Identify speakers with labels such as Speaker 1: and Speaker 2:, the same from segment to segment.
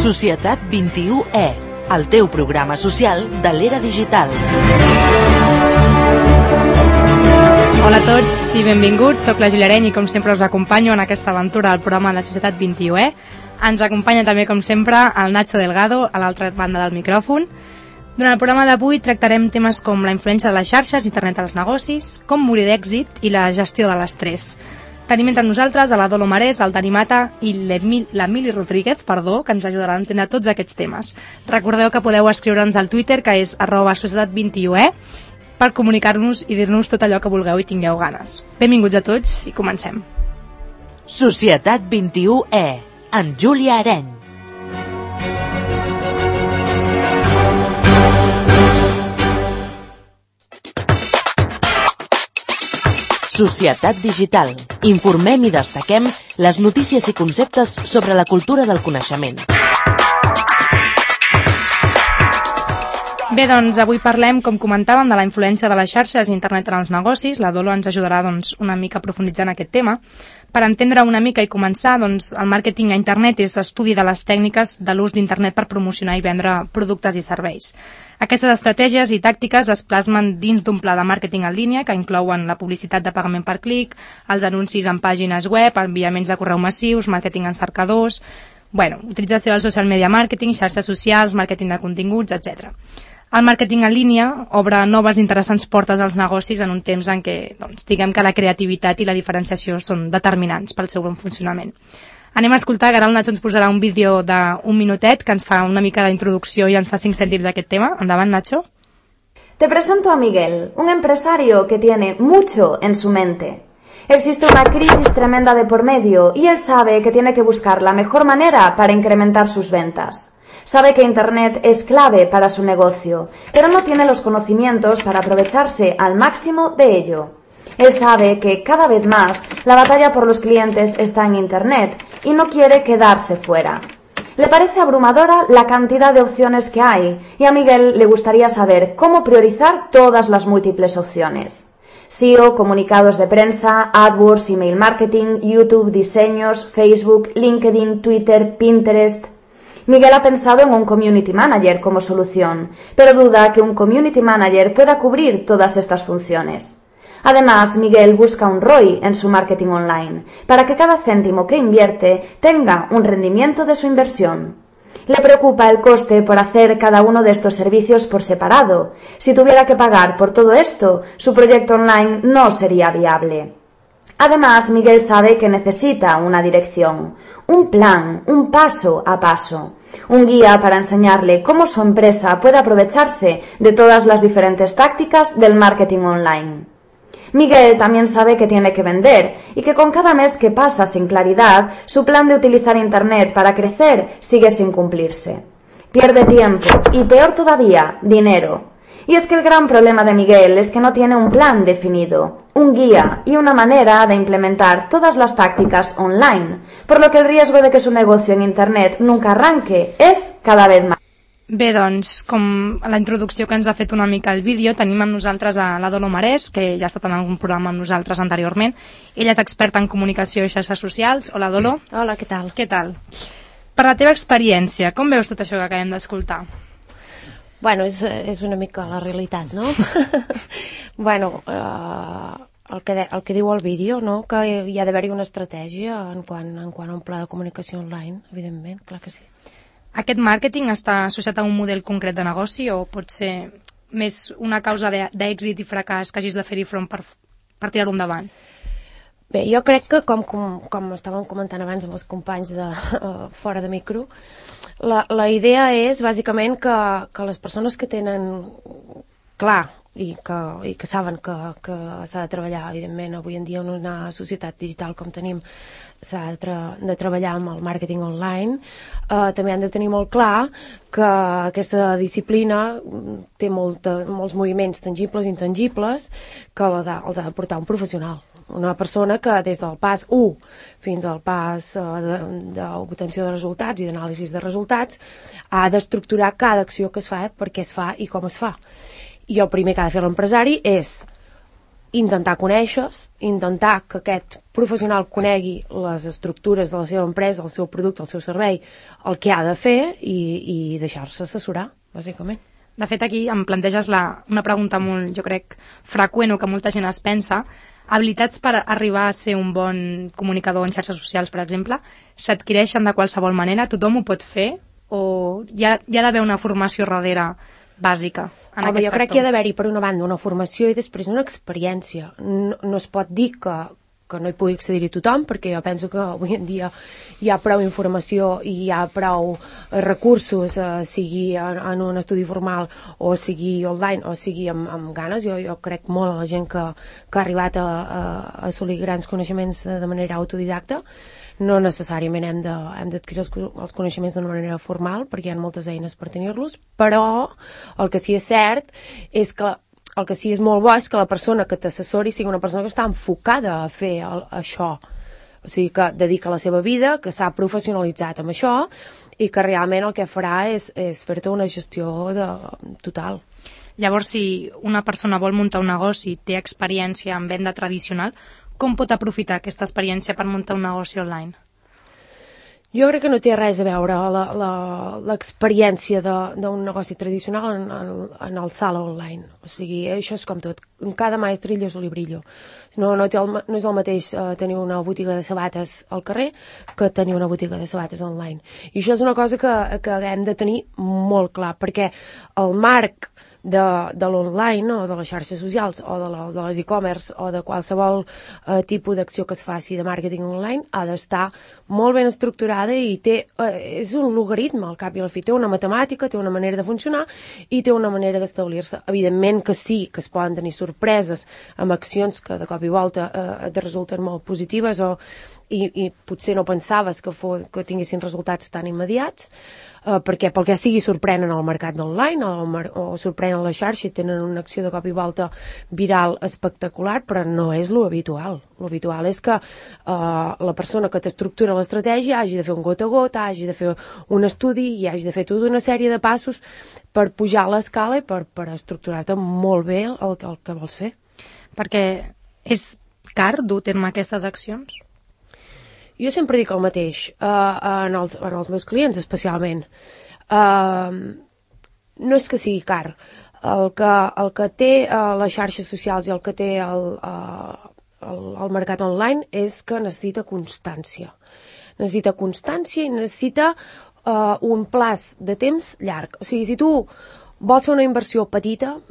Speaker 1: Societat 21E, el teu programa social de l'era digital.
Speaker 2: Hola a tots i benvinguts, soc la Júlia Areny i com sempre us acompanyo en aquesta aventura del programa de Societat 21E. Ens acompanya també com sempre el Nacho Delgado a l'altra banda del micròfon. Durant el programa d'avui tractarem temes com la influència de les xarxes, internet als negocis, com morir d'èxit i la gestió de l'estrès. Tenim entre nosaltres a la Dolo Marès, el Dani Mata i l'Emili Rodríguez, que ens ajudarà a entendre tots aquests temes. Recordeu que podeu escriure'ns al Twitter, que és @societat21e, per comunicar-nos i dir-nos tot allò que vulgueu i tingueu ganes. Benvinguts a tots i comencem.
Speaker 1: Societat 21E, amb Júlia Areny. Societat digital. Informem i destaquem les notícies i conceptes sobre la cultura del coneixement.
Speaker 2: Bé, doncs avui parlem, com comentàvem, de la influència de les xarxes i internet en els negocis. La Dolo ens ajudarà una mica a profunditzar en aquest tema. Per entendre una mica i començar, el màrqueting a internet és estudi de les tècniques de l'ús d'internet per promocionar i vendre productes i serveis. Aquestes estratègies i tàctiques es plasmen dins d'un pla de màrqueting en línia que inclouen la publicitat de pagament per clic, els anuncis en pàgines web, enviaments de correu massius, màrqueting en cercadors, utilització del social media marketing, xarxes socials, màrqueting de continguts, etc. El màrqueting en línia obre noves interessants portes als negocis en un temps en què, diguem que la creativitat i la diferenciació són determinants pel seu bon funcionament. Anem a escoltar, que ara el Nacho ens posarà un vídeo d'un minutet que ens fa una mica d'introducció i ens fa 5 cèntims d'aquest tema. Endavant, Nacho.
Speaker 3: Te presento a Miguel, un empresario que tiene mucho en su mente. Existe una crisis tremenda de por medio y él sabe que tiene que buscar la mejor manera para incrementar sus ventas. Sabe que Internet es clave para su negocio, pero no tiene los conocimientos para aprovecharse al máximo de ello. Él sabe que cada vez más la batalla por los clientes está en Internet y no quiere quedarse fuera. Le parece abrumadora la cantidad de opciones que hay y a Miguel le gustaría saber cómo priorizar todas las múltiples opciones. SEO, comunicados de prensa, AdWords, email marketing, YouTube, diseños, Facebook, LinkedIn, Twitter, Pinterest. Miguel ha pensado en un community manager como solución, pero duda que un community manager pueda cubrir todas estas funciones. Además, Miguel busca un ROI en su marketing online, para que cada céntimo que invierte tenga un rendimiento de su inversión. Le preocupa el coste por hacer cada uno de estos servicios por separado. Si tuviera que pagar por todo esto, su proyecto online no sería viable. Además, Miguel sabe que necesita una dirección, un plan, un paso a paso, un guía para enseñarle cómo su empresa puede aprovecharse de todas las diferentes tácticas del marketing online. Miguel también sabe que tiene que vender y que con cada mes que pasa sin claridad, su plan de utilizar Internet para crecer sigue sin cumplirse. Pierde tiempo y, peor todavía, dinero. Y es que el gran problema de Miguel es que no tiene un plan definido, un guía y una manera de implementar todas las tácticas online, por lo que el riesgo de que su negocio en Internet nunca arranque es cada vez más.
Speaker 2: Bé, com a la introducció que ens ha fet una mica el vídeo, tenim amb nosaltres a la Dolo Marès, que ja ha estat en algun programa amb nosaltres anteriorment. Ella és experta en comunicació i xarxes socials. Hola, Dolo.
Speaker 4: Hola, què tal?
Speaker 2: Què tal? Per la teva experiència, com veus tot això que acabem d'escoltar?
Speaker 4: Bueno, és una mica la realitat, no? El que diu el vídeo, no? Que hi ha d'haver-hi una estratègia en quant a un pla de comunicació online, evidentment, clar que sí.
Speaker 2: Aquest màrqueting està associat a un model concret de negoci o pot ser més una causa d'èxit i fracàs que hagis de fer-hi front per tirar-ho endavant?
Speaker 4: Bé, jo crec que, com estàvem comentant abans amb els companys fora de micro, la idea és, bàsicament, que les persones que tenen clar i que saben que s'ha de treballar, evidentment, avui en dia en una societat digital com tenim, s'ha de treballar amb el màrqueting online, també han de tenir molt clar que aquesta disciplina té molts moviments tangibles i intangibles que els ha de portar un professional. Una persona que des del pas 1 fins al pas d'obtenció de resultats i d'anàlisis de resultats ha d'estructurar cada acció que es fa, per què es fa i com es fa. I el primer que ha de fer l'empresari és intentar conèixer-se, intentar que aquest professional conegui les estructures de la seva empresa, el seu producte, el seu servei, el que ha de fer i deixar-se assessorar, bàsicament.
Speaker 2: De fet, aquí em planteges una pregunta molt, jo crec, freqüent o que molta gent es pensa. Habilitats per arribar a ser un bon comunicador en xarxes socials, per exemple, s'adquireixen de qualsevol manera? Tothom ho pot fer? O hi ha d'haver una formació darrere bàsica en aquest sector?
Speaker 4: Jo crec que hi ha d'haver-hi, per una banda, una formació i després una experiència. No es pot dir que no hi pugui accedir-hi tothom, perquè jo penso que avui en dia hi ha prou informació i hi ha prou recursos, sigui en un estudi formal o sigui online o sigui amb ganes. Jo crec molt a la gent que ha arribat a assolir grans coneixements de manera autodidacta. No necessàriament hem d'adquirir els coneixements d'una manera formal, perquè hi ha moltes eines per tenir-los, però el que sí és cert és que el que sí és molt bo és que la persona que t'assessori sigui una persona que està enfocada a fer això, o sigui, que dedica la seva vida, que s'ha professionalitzat amb això i que realment el que farà és fer-te una gestió total.
Speaker 2: Llavors, si una persona vol muntar un negoci, té experiència en venda tradicional, com pot aprofitar aquesta experiència per muntar un negoci online?
Speaker 4: Jo crec que no té res a veure l'experiència d'un negoci tradicional en el sala online. O sigui, això és com tot. En cada maestrillo és librillo. No és el mateix tenir una botiga de sabates al carrer que tenir una botiga de sabates online. I això és una cosa que hem de tenir molt clar, perquè el marc de l'online o de les xarxes socials o de les e-commerce o de qualsevol tipus d'acció que es faci de màrqueting online ha d'estar molt ben estructurada i és un logaritme al cap i al fi. Té una matemàtica, té una manera de funcionar i té una manera d'establir-se. Evidentment que sí, que es poden tenir sorpreses amb accions que de cop i volta et resulten molt positives i potser no pensaves que tinguessin resultats tan immediats, perquè pel que sigui sorprenen el mercat online o sorprenen la xarxa i tenen una acció de cop i volta viral espectacular, però no és lo habitual. Lo habitual és que la persona que t'estructura l'estratègia hagi de fer un gota a gota, hagi de fer un estudi i hagi de fer tota una sèrie de passos per pujar a l'escala i per estructurar-te molt bé el que vols fer.
Speaker 2: Perquè és car dur a terme aquestes accions?
Speaker 4: Jo sempre dic el mateix, en els meus clients especialment. No és que sigui car. El que té les xarxes socials i el que té el mercat online és que necessita constància. Necessita constància i necessita un plaç de temps llarg. O sigui, si tu vols fer una inversió petita,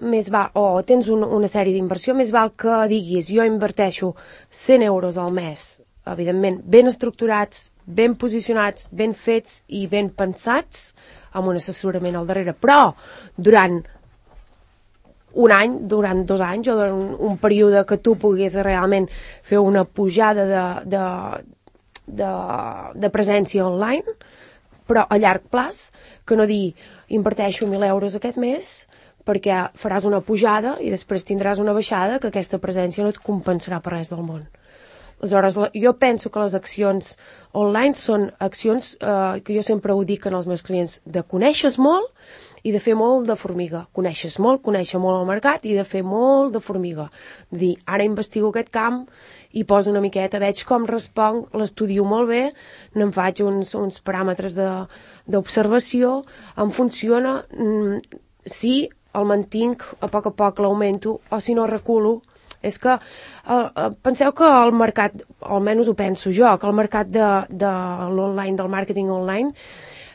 Speaker 4: o tens una sèrie d'inversió, més val que diguis jo inverteixo 100 euros al mes, evidentment ben estructurats, ben posicionats, ben fets i ben pensats, amb un assessorament al darrere, però durant un any, durant 2 anys o durant un període que tu puguis realment fer una pujada de presència online, però a llarg plaç, que no dir inverteixo 1.000 euros aquest mes perquè faràs una pujada i després tindràs una baixada que aquesta presència no et compensarà per res del món. Aleshores, jo penso que les accions online són accions que jo sempre ho dic als meus clients, de conèixer molt i de fer molt de formiga. Conèixer molt el mercat i de fer molt de formiga. De dir, ara investigo aquest camp i poso una miqueta, veig com responc, l'estudio molt bé, n'en faig uns paràmetres d'observació, em funciona, si el mantinc, a poc l'augmento, o si no reculo. És que penseu que el mercat, almenys ho penso jo, que el mercat de l'online, del màrqueting online,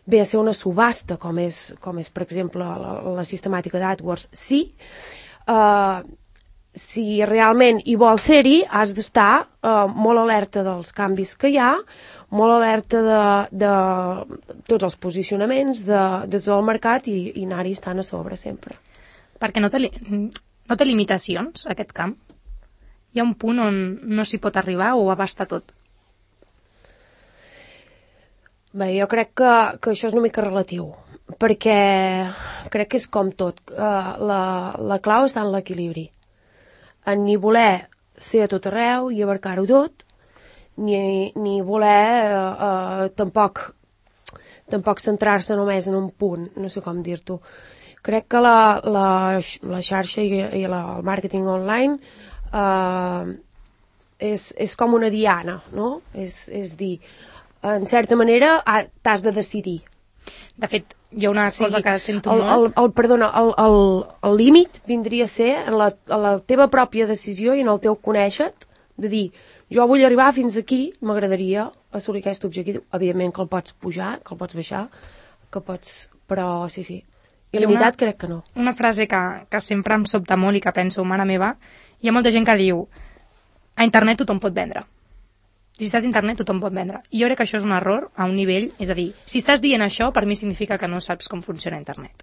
Speaker 4: ve a ser una subhasta, com és per exemple, la sistemàtica d'AdWords. Sí, si realment hi vols ser-hi, has d'estar molt alerta dels canvis que hi ha, molt alerta de tots els posicionaments, de tot el mercat i anar-hi estant a sobre sempre.
Speaker 2: Perquè no té limitacions, aquest camp? Hi ha un punt on no s'hi pot arribar o abasta tot?
Speaker 4: Bé, jo crec que això és una mica relatiu, perquè crec que és com tot. La clau està en l'equilibri. En ni voler ser a tot arreu i abarcar-ho tot, ni voler tampoc centrar-se només en un punt, no sé com dir-t'ho. Crec que la xarxa i el màrqueting online és com una diana, no? És dir, en certa manera t'has de decidir.
Speaker 2: De fet, hi ha una cosa que sento molt...
Speaker 4: El límit vindria a ser en la teva pròpia decisió i en el teu conèixer-te, de dir, jo vull arribar fins aquí, m'agradaria assolir aquest objectiu. Evidentment que el pots pujar, que el pots baixar, que pots... Però sí. Il·limitat crec que no.
Speaker 2: Una frase que sempre em sobta molt i que penso, mare meva, hi ha molta gent que diu a internet tothom pot vendre. Si estàs a internet tothom pot vendre. I jo crec que això és un error a un nivell, és a dir, si estàs dient això, per mi significa que no saps com funciona internet.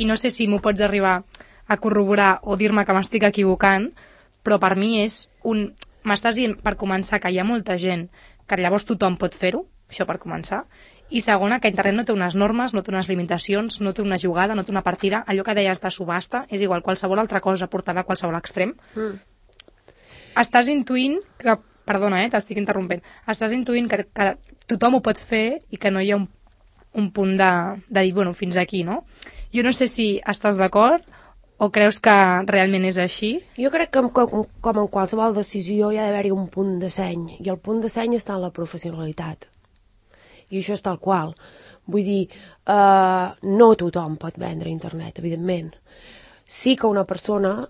Speaker 2: I no sé si m'ho pots arribar a corroborar o dir-me que m'estic equivocant, però per mi és un... M'estàs dient, per començar, que hi ha molta gent que llavors tothom pot fer-ho, això per començar, i segona, que internet no té unes normes, no té unes limitacions, no té una jugada, no té una partida, allò que deies de subhasta, és igual, qualsevol altra cosa portada a qualsevol extrem. Estàs intuint que, perdona, t'estic interrompent, estàs intuint que tothom ho pot fer i que no hi ha un punt de dir, bueno, fins aquí, no? Jo no sé si estàs d'acord o creus que realment és així?
Speaker 4: Jo crec que com en qualsevol decisió hi ha d'haver-hi un punt de seny, i el punt de seny està en la professionalitat. I això és tal qual. Vull dir, no tothom pot vendre a internet, evidentment. Sí que una persona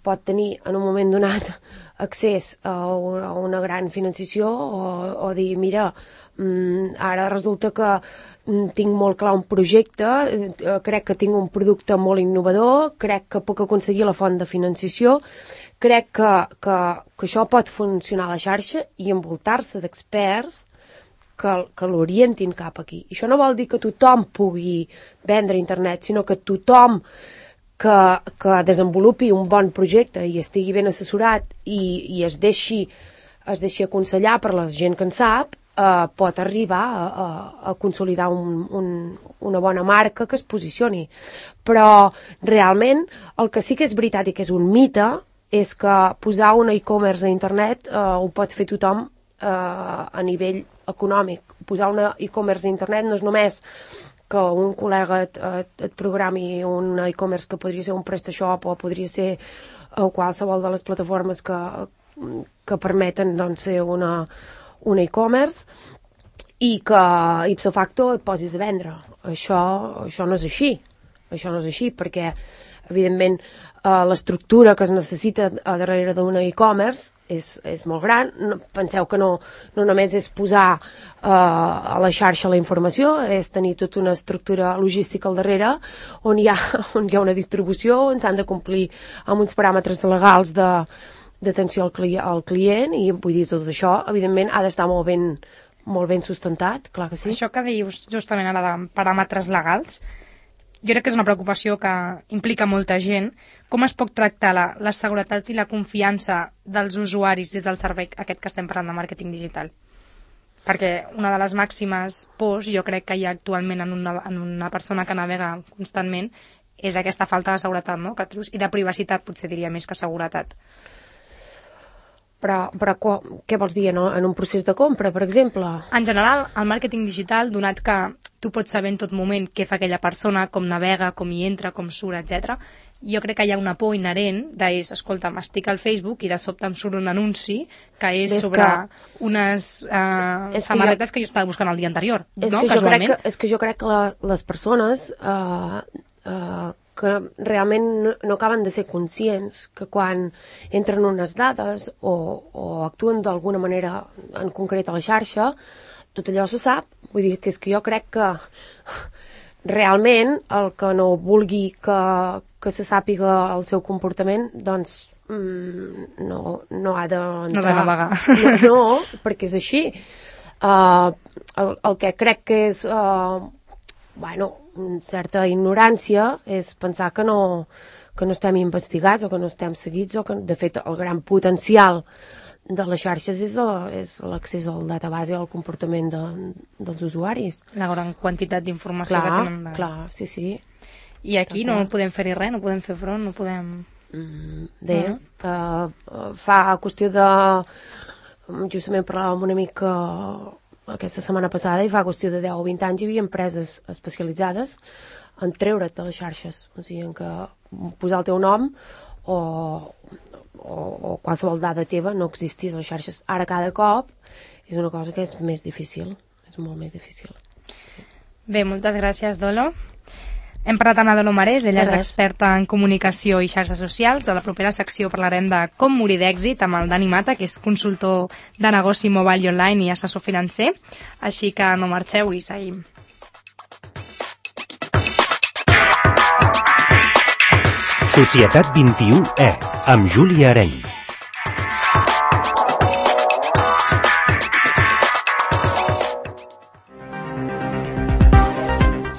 Speaker 4: pot tenir en un moment donat accés a una gran financiació o dir, mira, ara resulta que tinc molt clar un projecte, crec que tinc un producte molt innovador, crec que puc aconseguir la font de financiació, crec que això pot funcionar a la xarxa i envoltar-se d'experts que l'orientin cap aquí. I això no vol dir que tothom pugui vendre a internet, sinó que tothom que desenvolupi un bon projecte i estigui ben assessorat i es deixi aconsellar per la gent que en sap, pot arribar a consolidar una bona marca que es posicioni. Però realment el que sí que és veritat i que és un mite és que posar un e-commerce a internet ho pot fer tothom a nivell econòmic. Posar un e-commerce a internet no és només que un col·lega et programi un e-commerce que podria ser un PrestaShop o podria ser qualsevol de les plataformes que permeten doncs, fer un e-commerce i que ipso facto et posis a vendre. Això no és així. Això no és així perquè, evidentment, l'estructura que es necessita darrere d'un e-commerce és molt gran. Penseu que no només és posar a la xarxa la informació, és tenir tota una estructura logística al darrere on hi ha una distribució, on s'han de complir amb uns paràmetres legals d'atenció al client i vull dir, tot això, evidentment, ha d'estar molt ben sustentat, clar que sí.
Speaker 2: Això que dius justament ara de paràmetres legals, jo crec que és una preocupació que implica molta gent. Com es pot tractar la seguretat i la confiança dels usuaris des del servei aquest que estem parlant de màrqueting digital? Perquè una de les màximes pors, jo crec que hi ha actualment en una persona que navega constantment, és aquesta falta de seguretat, no? I de privacitat, potser diria més que seguretat.
Speaker 4: Però què vols dir, en un procés de compra, per exemple?
Speaker 2: En general, el màrqueting digital, donat que tu pots saber en tot moment què fa aquella persona, com navega, com hi entra, com surt, etc. Jo crec que hi ha una por inherent escolta, estic al Facebook i de sobte em surt un anunci que és sobre unes samarretes que jo estava buscant el dia anterior, no? Casualment.
Speaker 4: És que jo crec que les persones que realment no acaben de ser conscients que quan entren unes dades o actuen d'alguna manera en concret a la xarxa, tot allò se sap. Vull dir que és que jo crec que realment el que no vulgui que se sàpiga el seu comportament, doncs no ha d'entrar.
Speaker 2: No de navegar.
Speaker 4: No, perquè és així. El que crec que és certa ignorància és pensar que no estem investigats o que no estem seguits o que, de fet, el gran potencial de les xarxes és l'accés al database i al comportament dels usuaris.
Speaker 2: La gran quantitat d'informació que tenen.
Speaker 4: Clar, sí.
Speaker 2: I aquí no podem fer-hi res, no podem fer front, no podem...
Speaker 4: Fa qüestió de... Justament parlàvem una mica aquesta setmana passada i fa qüestió de 10 o 20 anys hi havia empreses especialitzades en treure't de les xarxes, o sigui, en que posar el teu nom o o qualsevol dada teva no existís a les xarxes. Ara cada cop és una cosa que és més difícil, és molt més difícil.
Speaker 2: Bé, moltes gràcies, Dolo. Hem parlat amb la Dolo Marés, ella és experta en comunicació i xarxes socials. A la propera secció parlarem de com morir d'èxit amb el Dani Mata, que és consultor de negoci mobile i online i assessor financer. Així que no marxeu i seguim.
Speaker 5: Societat 21E, amb Júlia Areny.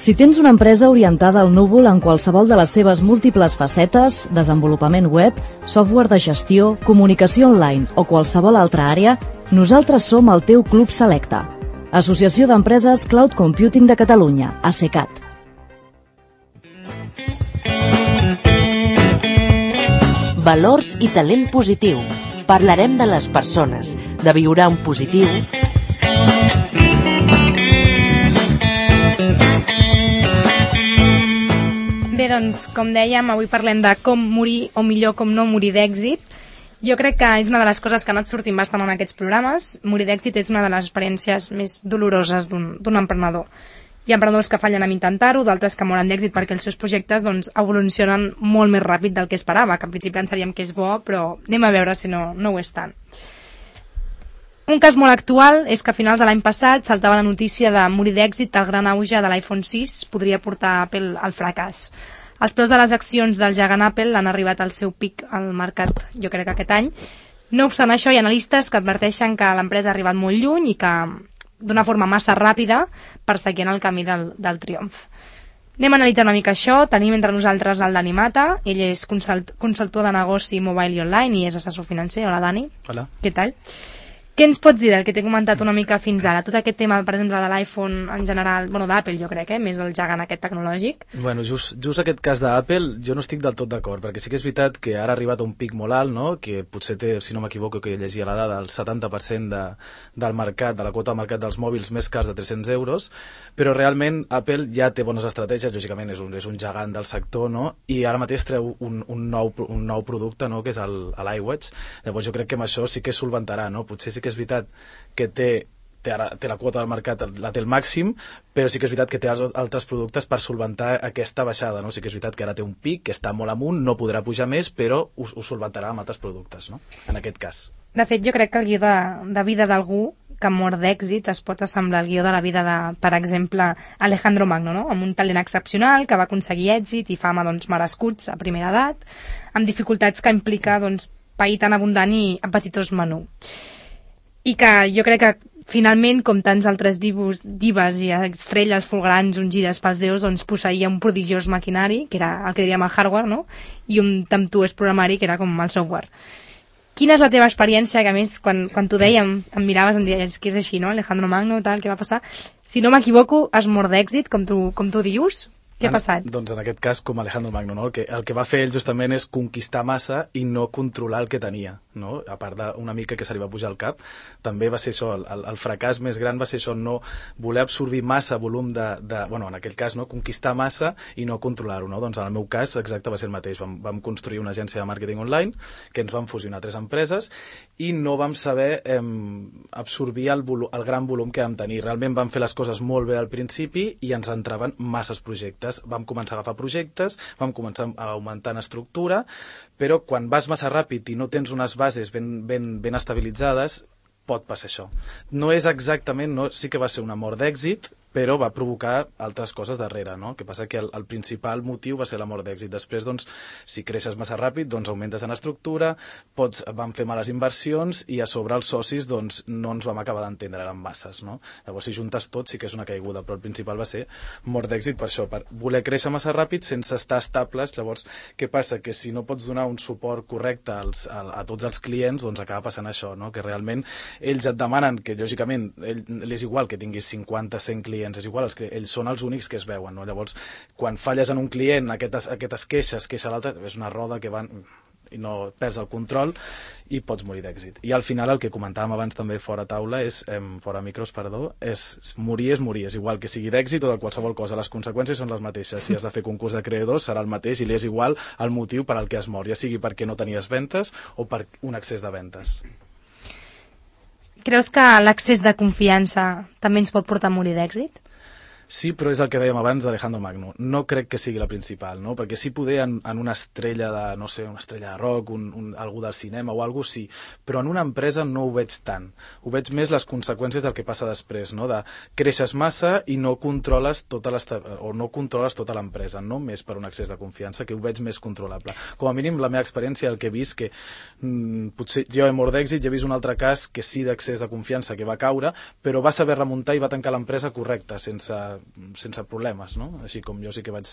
Speaker 6: Si tens una empresa orientada al núvol en qualsevol de les seves múltiples facetes, desenvolupament web, software de gestió, comunicació online o qualsevol altra àrea, nosaltres som el teu club selecte. Associació d'Empreses Cloud Computing de Catalunya, ACECAT.
Speaker 1: Valors i talent positiu. Parlarem de les persones, de viure en positiu.
Speaker 2: Bé, doncs, com dèiem, avui parlem de com morir, o millor, com no morir d'èxit. Jo crec que és una de les coses que ha anat sortint bastant en aquests programes. Morir d'èxit és una de les experiències més doloroses d'un emprenedor. Hi ha emprenedors que fallen en intentar-ho, d'altres que moren d'èxit perquè els seus projectes evolucionen molt més ràpid del que esperava, que en principi pensaríem que és bo, però anem a veure si no ho és tant. Un cas molt actual és que a finals de l'any passat saltava la notícia de morir d'èxit el gran auge de l'iPhone 6 podria portar Apple al fracàs. Els preus de les accions del gegant Apple han arribat al seu pic al mercat, jo crec que aquest any. No obstant això, hi ha analistes que adverteixen que l'empresa ha arribat molt lluny i que d'una forma massa ràpida perseguint el camí del triomf. Anem a analitzar una mica això. Tenim entre nosaltres el Dani Mata. Ell és consultor de negoci mobile i online i és assessor financer. Hola, Dani.
Speaker 7: Hola.
Speaker 2: Què tal? Què ens pots dir del que t'he comentat una mica fins ara? Tot aquest tema, per exemple, de l'iPhone en general, bueno, d'Apple jo crec, més el gegant aquest tecnològic.
Speaker 7: Bueno, just aquest cas d'Apple jo no estic del tot d'acord, perquè sí que és veritat que ara ha arribat a un pic molt alt, no? Que potser té, si no m'equivoco, que llegia la dada, el 70% del mercat, de la quota de mercat dels mòbils més cars de 300 euros, però realment Apple ja té bones estratègies, lògicament és un gegant del sector, no? I ara mateix treu un nou producte, no? Que és l'iWatch. Llavors jo crec que amb això sí que solventarà, no? Potser sí que és veritat que té la quota del mercat, la té al màxim, però sí que és veritat que té altres productes per solventar aquesta baixada, no? Sí que és veritat que ara té un pic, que està molt amunt, no podrà pujar més, però ho solventarà amb altres productes, no? En aquest cas.
Speaker 2: De fet, jo crec que el guió de vida d'algú que mor d'èxit es pot assemblar al guió de la vida de, per exemple, Alejandro Magno, no? Amb un talent excepcional que va aconseguir èxit i fama merescuts a primera edat, amb dificultats que implica pair tan abundant i apetitós menú. I que jo crec que finalment, com tants altres dives i estrelles fulgrants ungides pels déus, posseïa un prodigiós maquinari, que era el que diríem el hardware, no? I un temptuós programari, que era com el software. Quina és la teva experiència, que a més, quan t'ho dèiem, em miraves i em deies que és així, no? Alejandro Magno, tal, què va passar? Si no m'equivoco, es mor d'èxit, com tu dius? Què ha passat?
Speaker 7: Doncs en aquest cas, com Alejandro Magno, no? El que va fer ell justament és conquistar massa i no controlar el que tenia, no? A part d'una mica que se li va pujar al cap, també va ser això, el fracàs més gran va ser això, no voler absorbir massa volum bueno, en aquell cas, no? Conquistar massa i no controlar-ho, no? Doncs en el meu cas, exacte, va ser el mateix. Vam construir una agència de màrqueting online, que ens vam fusionar 3 empreses, i no vam saber absorbir el gran volum que vam tenir. Realment vam fer les coses molt bé al principi i ens entraven masses projectes. Vam començar a agafar projectes, vam començar a augmentar en estructura, però quan vas massa ràpid i no tens unes bases ben estabilitzades, pot passar això. No és exactament, sí que va ser una mort d'èxit, però va provocar altres coses darrere, no? Que passa que el principal motiu va ser la mort d'èxit. Després, doncs, si creixes massa ràpid, doncs augmentes en estructura, vam fer males inversions i a sobre els socis, doncs, no ens vam acabar d'entendre, eren masses, no? Llavors, si juntes tot, sí que és una caiguda, però el principal va ser mort d'èxit per això, per voler créixer massa ràpid sense estar estables. Llavors, què passa? Que si no pots donar un suport correcte a tots els clients, doncs acaba passant això, no? Que realment ells et demanen que, lògicament, és igual que tinguis 50, 100 clients, és igual, ells són els únics que es veuen, no? Llavors, quan falles en un client, aquestes queixes, queixa l'altre, és una roda que van... perds el control i pots morir d'èxit. I al final el que comentàvem abans també fora taula, fora micros, perdó, és morir és igual que sigui d'èxit o de qualsevol cosa. Les conseqüències són les mateixes. Si has de fer concurs de creadors serà el mateix i li és igual el motiu per al que es mor, ja sigui perquè no tenies ventes o per un excés de ventes.
Speaker 2: Creus que l'excés de confiança també ens pot portar a morir d'èxit?
Speaker 7: Sí, però és el que dèiem abans d'Alejandro Magno. No crec que sigui la principal, no? Perquè sí poder en una estrella de, no sé, una estrella de rock, algú del cinema o algú sí, però en una empresa no ho veig tant. Ho veig més les conseqüències del que passa després, no? De creixes massa i no controles tota l'empresa, no més per un excés de confiança, que ho veig més controlable. Com a mínim, la meva experiència, el que he vist, que potser jo he mort d'èxit, he vist un altre cas que sí d'excés de confiança, que va caure, però va saber remuntar i va tancar l'empresa correcta, sense problemes, no? Així com jo sí que vaig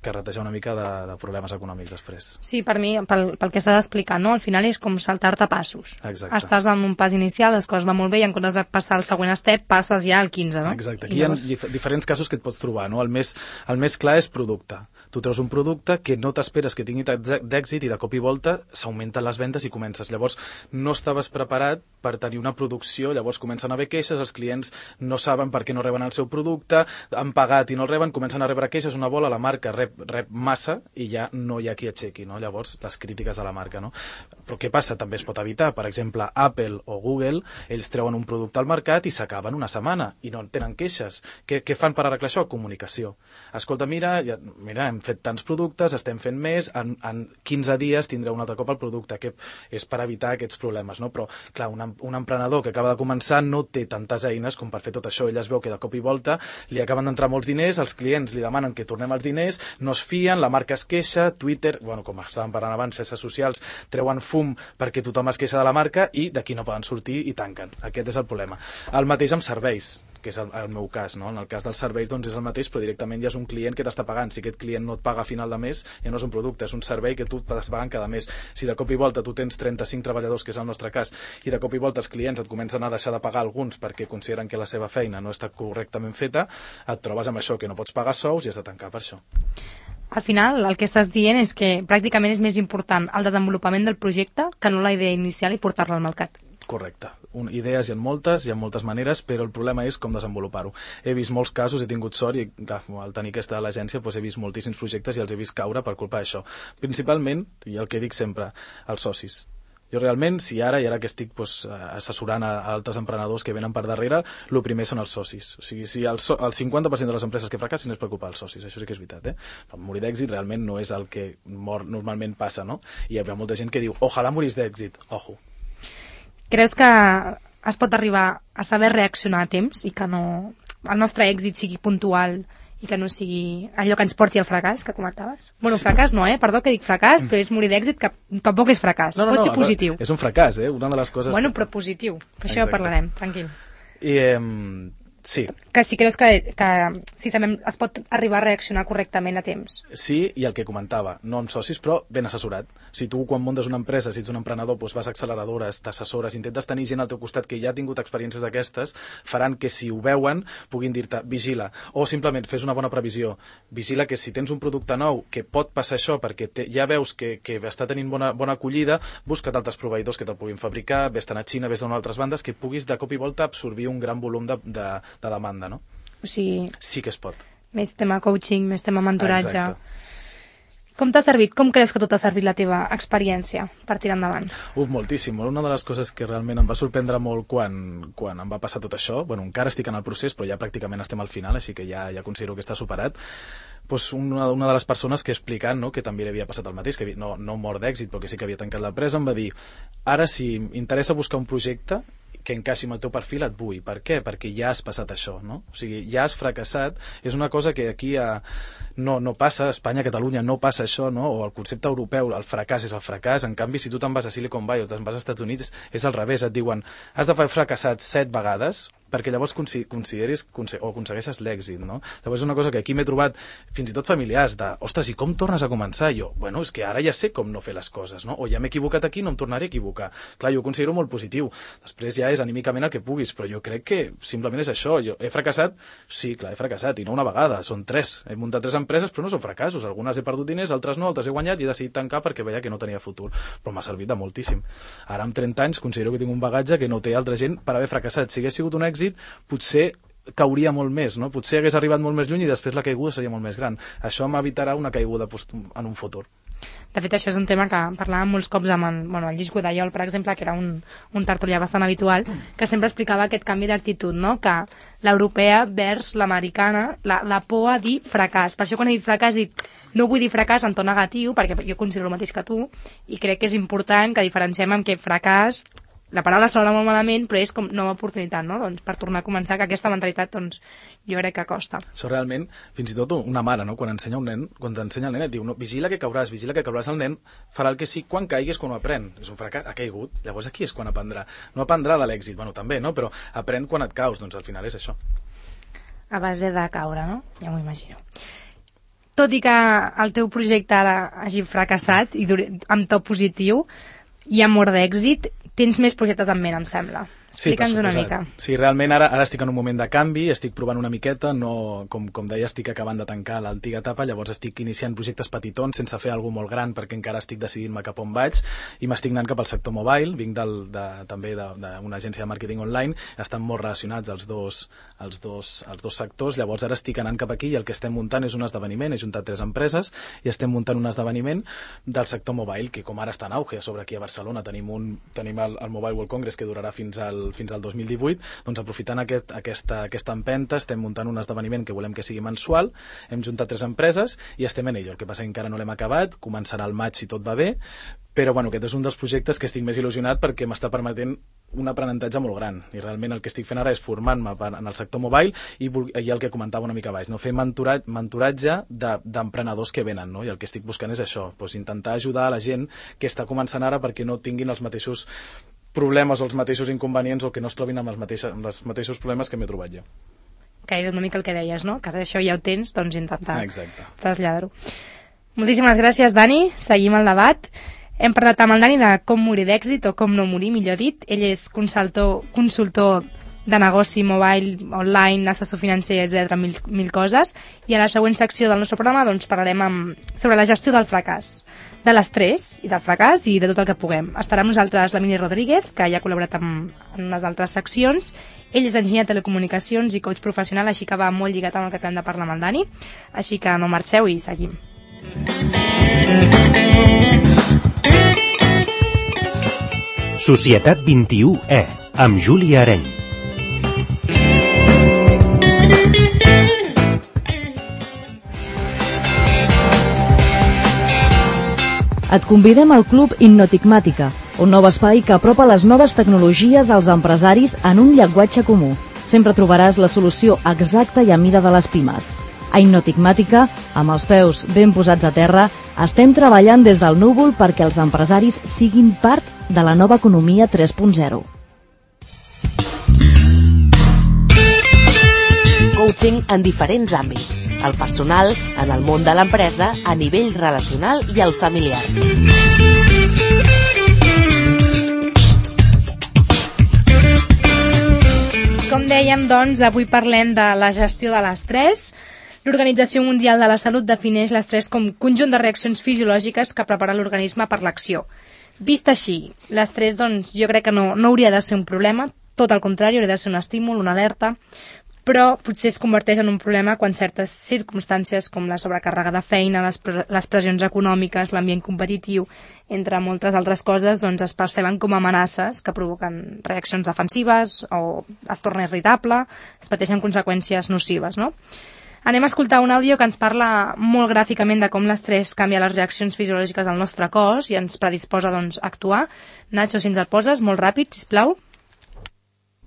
Speaker 7: carretejar una mica de problemes econòmics després.
Speaker 2: Sí, per mi, pel que estàs explicant, no? Al final és com saltar-te passos.
Speaker 7: Exacte.
Speaker 2: Estàs en un pas inicial, les coses van molt bé i en comptes de passar al següent step, passes ja al 15, no?
Speaker 7: Exacte. Aquí hi ha diferents casos que et pots trobar, no? El més clar és producte. Tu treus un producte que no t'esperes que tingui d'èxit i de cop i volta s'augmenten les vendes i comences. Llavors, no estaves preparat per tenir una producció, llavors comencen a haver queixes, els clients no saben per què no reben el seu producte, han pagat i no el reben, comencen a rebre queixes, una bola, la marca rep massa i ja no hi ha qui aixequi, no? Llavors, les crítiques a la marca, no? Però què passa? També es pot evitar. Per exemple, Apple o Google, ells treuen un producte al mercat i s'acaben una setmana i no tenen queixes. Què fan per arreglar això? Comunicació. Escolta, mira, hem fet tants productes, estem fent més, en 15 dies tindreu un altre cop el producte, que és per evitar aquests problemes, no? Però, clar, un emprenedor que acaba de començar no té tantes eines com per fer tot això. Ell es veu que de cop i volta li acaben d'entrar molts diners, els clients li demanen que tornem els diners, no es fien, la marca es queixa, Twitter, bueno, com estàvem parlant abans, xarxes socials treuen fum perquè tothom es queixa de la marca i d'aquí no poden sortir i tanquen. Aquest és el problema. El mateix amb serveis, que és el meu cas, no? En el cas dels serveis doncs és el mateix, però directament ja és un client que t'està pagant. Si aquest client no et paga a final de mes, ja no és un producte, és un servei que tu t'estàs pagant cada mes. Si de cop i volta tu tens 35 treballadors, que és el nostre cas, i de cop i volta els clients et comencen a deixar de pagar alguns perquè consideren que la seva feina no està correctament feta, et trobes amb això, que no pots pagar sous i has de tancar per això.
Speaker 2: Al final, el que estàs dient és que pràcticament és més important el desenvolupament del projecte que no la idea inicial i portar-la al mercat.
Speaker 7: Correcte. Idees hi ha moltes maneres, però el problema és com desenvolupar-ho. He vist molts casos, he tingut sort i al tenir aquesta a l'agència he vist moltíssims projectes i els he vist caure per culpa d'això. Principalment, i el que dic sempre, els socis. Jo realment, si ara que estic assessorant a altres emprenedors que venen per darrere, el primer són els socis. O sigui, si el 50% de les empreses que fracassin és per culpa dels socis, això sí que és veritat, eh? Però morir d'èxit realment no és el que normalment passa, no? I hi ha molta gent que diu, ojalà morís d'èxit, ojo.
Speaker 2: Creus que es pot arribar a saber reaccionar a temps i que el nostre èxit sigui puntual i que no sigui allò que ens porti al fracàs, que comentaves? Bueno, sí. Fracàs no, perdó que dic fracàs, però és morir d'èxit, que tampoc és fracàs. Pot ser positiu.
Speaker 7: És un fracàs, una de les coses...
Speaker 2: Bueno, però positiu. Per això parlarem, tranquil.
Speaker 7: Sí.
Speaker 2: Que si creus que si sabem, es pot arribar a reaccionar correctament a temps.
Speaker 7: Sí, i el que comentava, no amb socis, però ben assessorat. Si tu, quan muntes una empresa, si ets un emprenedor, vas a acceleradores, t'assessores, intentes tenir gent al teu costat que ja ha tingut experiències d'aquestes, faran que si ho veuen puguin dir-te, vigila. O simplement fes una bona previsió. Vigila que si tens un producte nou que pot passar això perquè ja veus que està tenint bona acollida, busca't altres proveïdors que te'l puguin fabricar, vés-te'n a Xina, vés-te'n a altres bandes, que puguis de cop i volta absorbir un gran volum de demanda, no?
Speaker 2: O sigui...
Speaker 7: Sí que es pot.
Speaker 2: Més tema coaching, més tema mentoratge.
Speaker 7: Exacte.
Speaker 2: Com t'ha servit? Com creus que tot t'ha servit la teva experiència per tirar endavant?
Speaker 7: Moltíssim. Una de les coses que realment em va sorprendre molt quan em va passar tot això, bueno, encara estic en el procés, però ja pràcticament estem al final, així que ja considero que està superat, una de les persones que explicant, no, que també li havia passat el mateix, que no mort d'èxit, però que sí que havia tancat l'empresa, em va dir, ara si m'interessa buscar un projecte que encaixi amb el teu perfil et vull. Per què? Perquè ja has passat això, no? O sigui, ja has fracassat. És una cosa que aquí no passa, a Espanya, a Catalunya no passa això, no? O el concepte europeu, el fracàs és el fracàs. En canvi, si tu te'n vas a Silicon Valley o te'n vas als Estats Units, és al revés. Et diuen, has de haver fracassat 7 vegades perquè llavors consideris o aconsegueixes l'èxit, no? Llavors és una cosa que aquí m'he trobat fins i tot familiars de, ostres, i com tornes a començar? Jo, bueno, és que ara ja sé com no fer les coses, no? O ja m'he equivocat aquí, no em tornaré a equivocar. Clar, jo ho considero molt positiu. Després ja és anímicament el que puguis, però jo crec que simplement és això. Jo he fracassat? Sí, clar, he fracassat, i no una vegada, són 3. He muntat 3 empreses, però no són fracassos. Algunes he perdut diners, altres no, altres he guanyat i he decidit tancar perquè veia que no tenia futur. Però m'ha servit de moltíssim. Ara amb 30 anys considero que tinc un bagatge que no té altra gent per haver fracassat. Si hagués sigut un èxit, potser cauria molt més, no? Potser hagués arribat molt més lluny i després la caiguda seria molt més gran. Això m'evitarà una caiguda en un futur.
Speaker 2: De fet, això és un tema que parlàvem molts cops amb el Lluís Godallol, per exemple, que era un tertulià bastant habitual, que sempre explicava aquest canvi d'actitud, no? Que l'europea vers l'americana, la por a dir fracàs. Per això quan he dit fracàs he dit no vull dir fracàs en to negatiu, perquè jo considero el mateix que tu, i crec que és important que diferenciem amb que fracàs, la paraula sona molt malament, però és com nova oportunitat, no? Doncs per tornar a començar, que aquesta mentalitat, doncs, jo crec que costa.
Speaker 7: Això realment, fins i tot una mare, no? Quan ensenya un nen, quan t'ensenya el nen, et diu, no, vigila que cauràs, el nen farà el que sí, quan caiguis, quan ho aprèn. És un fracàs, ha caigut, llavors aquí és quan aprendrà. No aprendrà de l'èxit, bueno, també, no? Però aprèn quan et caus, doncs al final és això.
Speaker 2: A base de caure, no? Ja m'ho imagino. Tot i que el teu projecte ara hagi fracassat i amb to positiu i amor d'èxit, tens més projectes en ment, em sembla. Explica'ns una mica.
Speaker 7: Sí, realment ara estic en un moment de canvi, estic provant una miqueta, no, com deia, estic acabant de tancar l'antiga etapa, llavors estic iniciant projectes petitons sense fer alguna molt gran perquè encara estic decidint-me cap on vaig i m'estic anant cap al sector mobile, vinc també d'una agència de màrqueting online, estan molt relacionats els dos sectors, llavors ara estic anant cap aquí i el que estem muntant és un esdeveniment, he juntat 3 empreses i estem muntant un esdeveniment del sector mobile, que com ara està en auge, a sobre aquí a Barcelona tenim el Mobile World Congress que durarà fins al 2018, doncs aprofitant aquesta empenta estem muntant un esdeveniment que volem que sigui mensual, hem juntat 3 empreses i estem en ello, el que passa que encara no l'hem acabat, començarà al maig si tot va bé, però bueno, aquest és un dels projectes que estic més il·lusionat perquè m'està permetent un aprenentatge molt gran i realment el que estic fent ara és formant-me en el sector mobile i el que comentava una mica baix, no? Fer mentoratge d'emprenedors que venen, no? I el que estic buscant és això, doncs intentar ajudar a la gent que està començant ara perquè no tinguin els mateixos problemes o els mateixos inconvenients o que no es trobin amb els mateixos problemes que m'he trobat jo.
Speaker 2: Que és una mica el que deies, no? Que això ja ho tens, doncs intentar traslladar-ho. Moltíssimes gràcies, Dani. Seguim el debat. Hem parlat amb el Dani de com morir d'èxit o com no morir, millor dit. Ell és consultor de negoci mobile, online, assessor financer, etc, mil coses. I a la següent secció del nostre programa doncs, parlarem sobre la gestió del fracàs, de l'estrès i del fracàs i de tot el que puguem. Estarà amb nosaltres l'Emili Rodríguez, que ja ha col·laborat en unes altres seccions. Ell és enginyer de telecomunicacions i coach professional, així que va molt lligat amb el que acabem de parlar amb el Dani. Així que no marxeu i seguim.
Speaker 5: Societat 21E, amb Júlia Areny.
Speaker 6: Et convidem al Club Innotigmàtica, un nou espai que apropa les noves tecnologies als empresaris en un llenguatge comú. Sempre trobaràs la solució exacta i a mida de les pimes. A Innotigmàtica, amb els peus ben posats a terra, estem treballant des del núvol perquè els empresaris siguin part de la nova economia 3.0.
Speaker 1: Coaching en diferents àmbits. El personal, en el món de l'empresa, a nivell relacional i el familiar.
Speaker 2: Com dèiem, doncs, avui parlem de la gestió de l'estrès. L'Organització Mundial de la Salut defineix l'estrès com conjunt de reaccions fisiològiques que prepara l'organisme per l'acció. Vist així, l'estrès, doncs, jo crec que no hauria de ser un problema, tot el contrari, hauria de ser un estímul, una alerta, però potser es converteix en un problema quan certes circumstàncies com la sobrecàrrega de feina, les pressions econòmiques, l'ambient competitiu, entre moltes altres coses, doncs es perceben com amenaces que provoquen reaccions defensives o es torna irritable, es pateixen conseqüències nocives, no? Anem a escoltar un àudio que ens parla molt gràficament de com l'estrès canvia les reaccions fisiològiques del nostre cos i ens predisposa doncs, a actuar. Nacho, si ens el poses, molt ràpid, sisplau.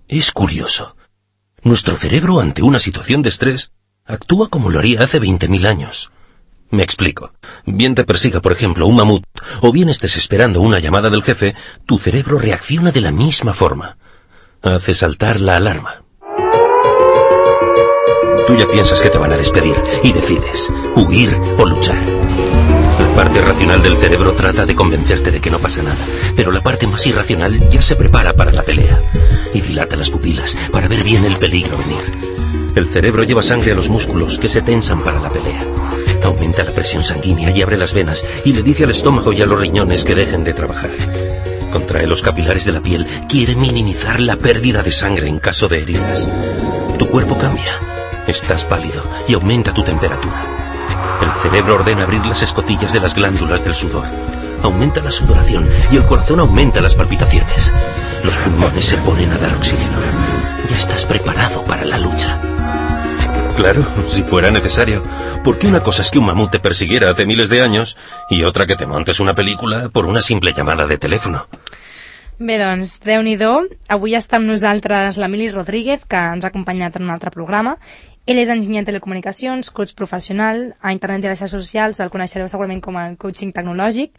Speaker 8: Es curioso. Nuestro cerebro, ante una situación de estrés, actúa como lo haría hace 20.000 años. Me explico. Bien te persiga, por ejemplo, un mamut, o bien estés esperando una llamada del jefe, tu cerebro reacciona de la misma forma. Hace saltar la alarma. Tú ya piensas que te van a despedir y decides huir o luchar. La parte racional del cerebro trata de convencerte de que no pasa nada, pero la parte más irracional ya se prepara para la pelea y dilata las pupilas para ver bien el peligro venir. El cerebro lleva sangre a los músculos que se tensan para la pelea. Aumenta la presión sanguínea y abre las venas y le dice al estómago y a los riñones que dejen de trabajar. Contrae los capilares de la piel, quiere minimizar la pérdida de sangre en caso de heridas. Tu cuerpo cambia, estás pálido y aumenta tu temperatura. El cerebro ordena abrir las escotillas de las glándulas del sudor. Aumenta la sudoración y el corazón aumenta las palpitaciones. Los pulmones se ponen a dar oxígeno. Ya estás preparado para la lucha. Claro, si fuera necesario. Porque una cosa es que un mamut te persiguiera hace miles de años y otra que te montes una pel·lícula por una simple llamada de teléfono.
Speaker 2: Bé, doncs, Déu-n'hi-do. Avui està amb nosaltres l'Emili Rodríguez, que ens ha acompanyat en un altre programa. Ell és enginyer en telecomunicacions, coach professional, a internet i a les xarxes socials, el coneixereu segurament com a coaching tecnològic.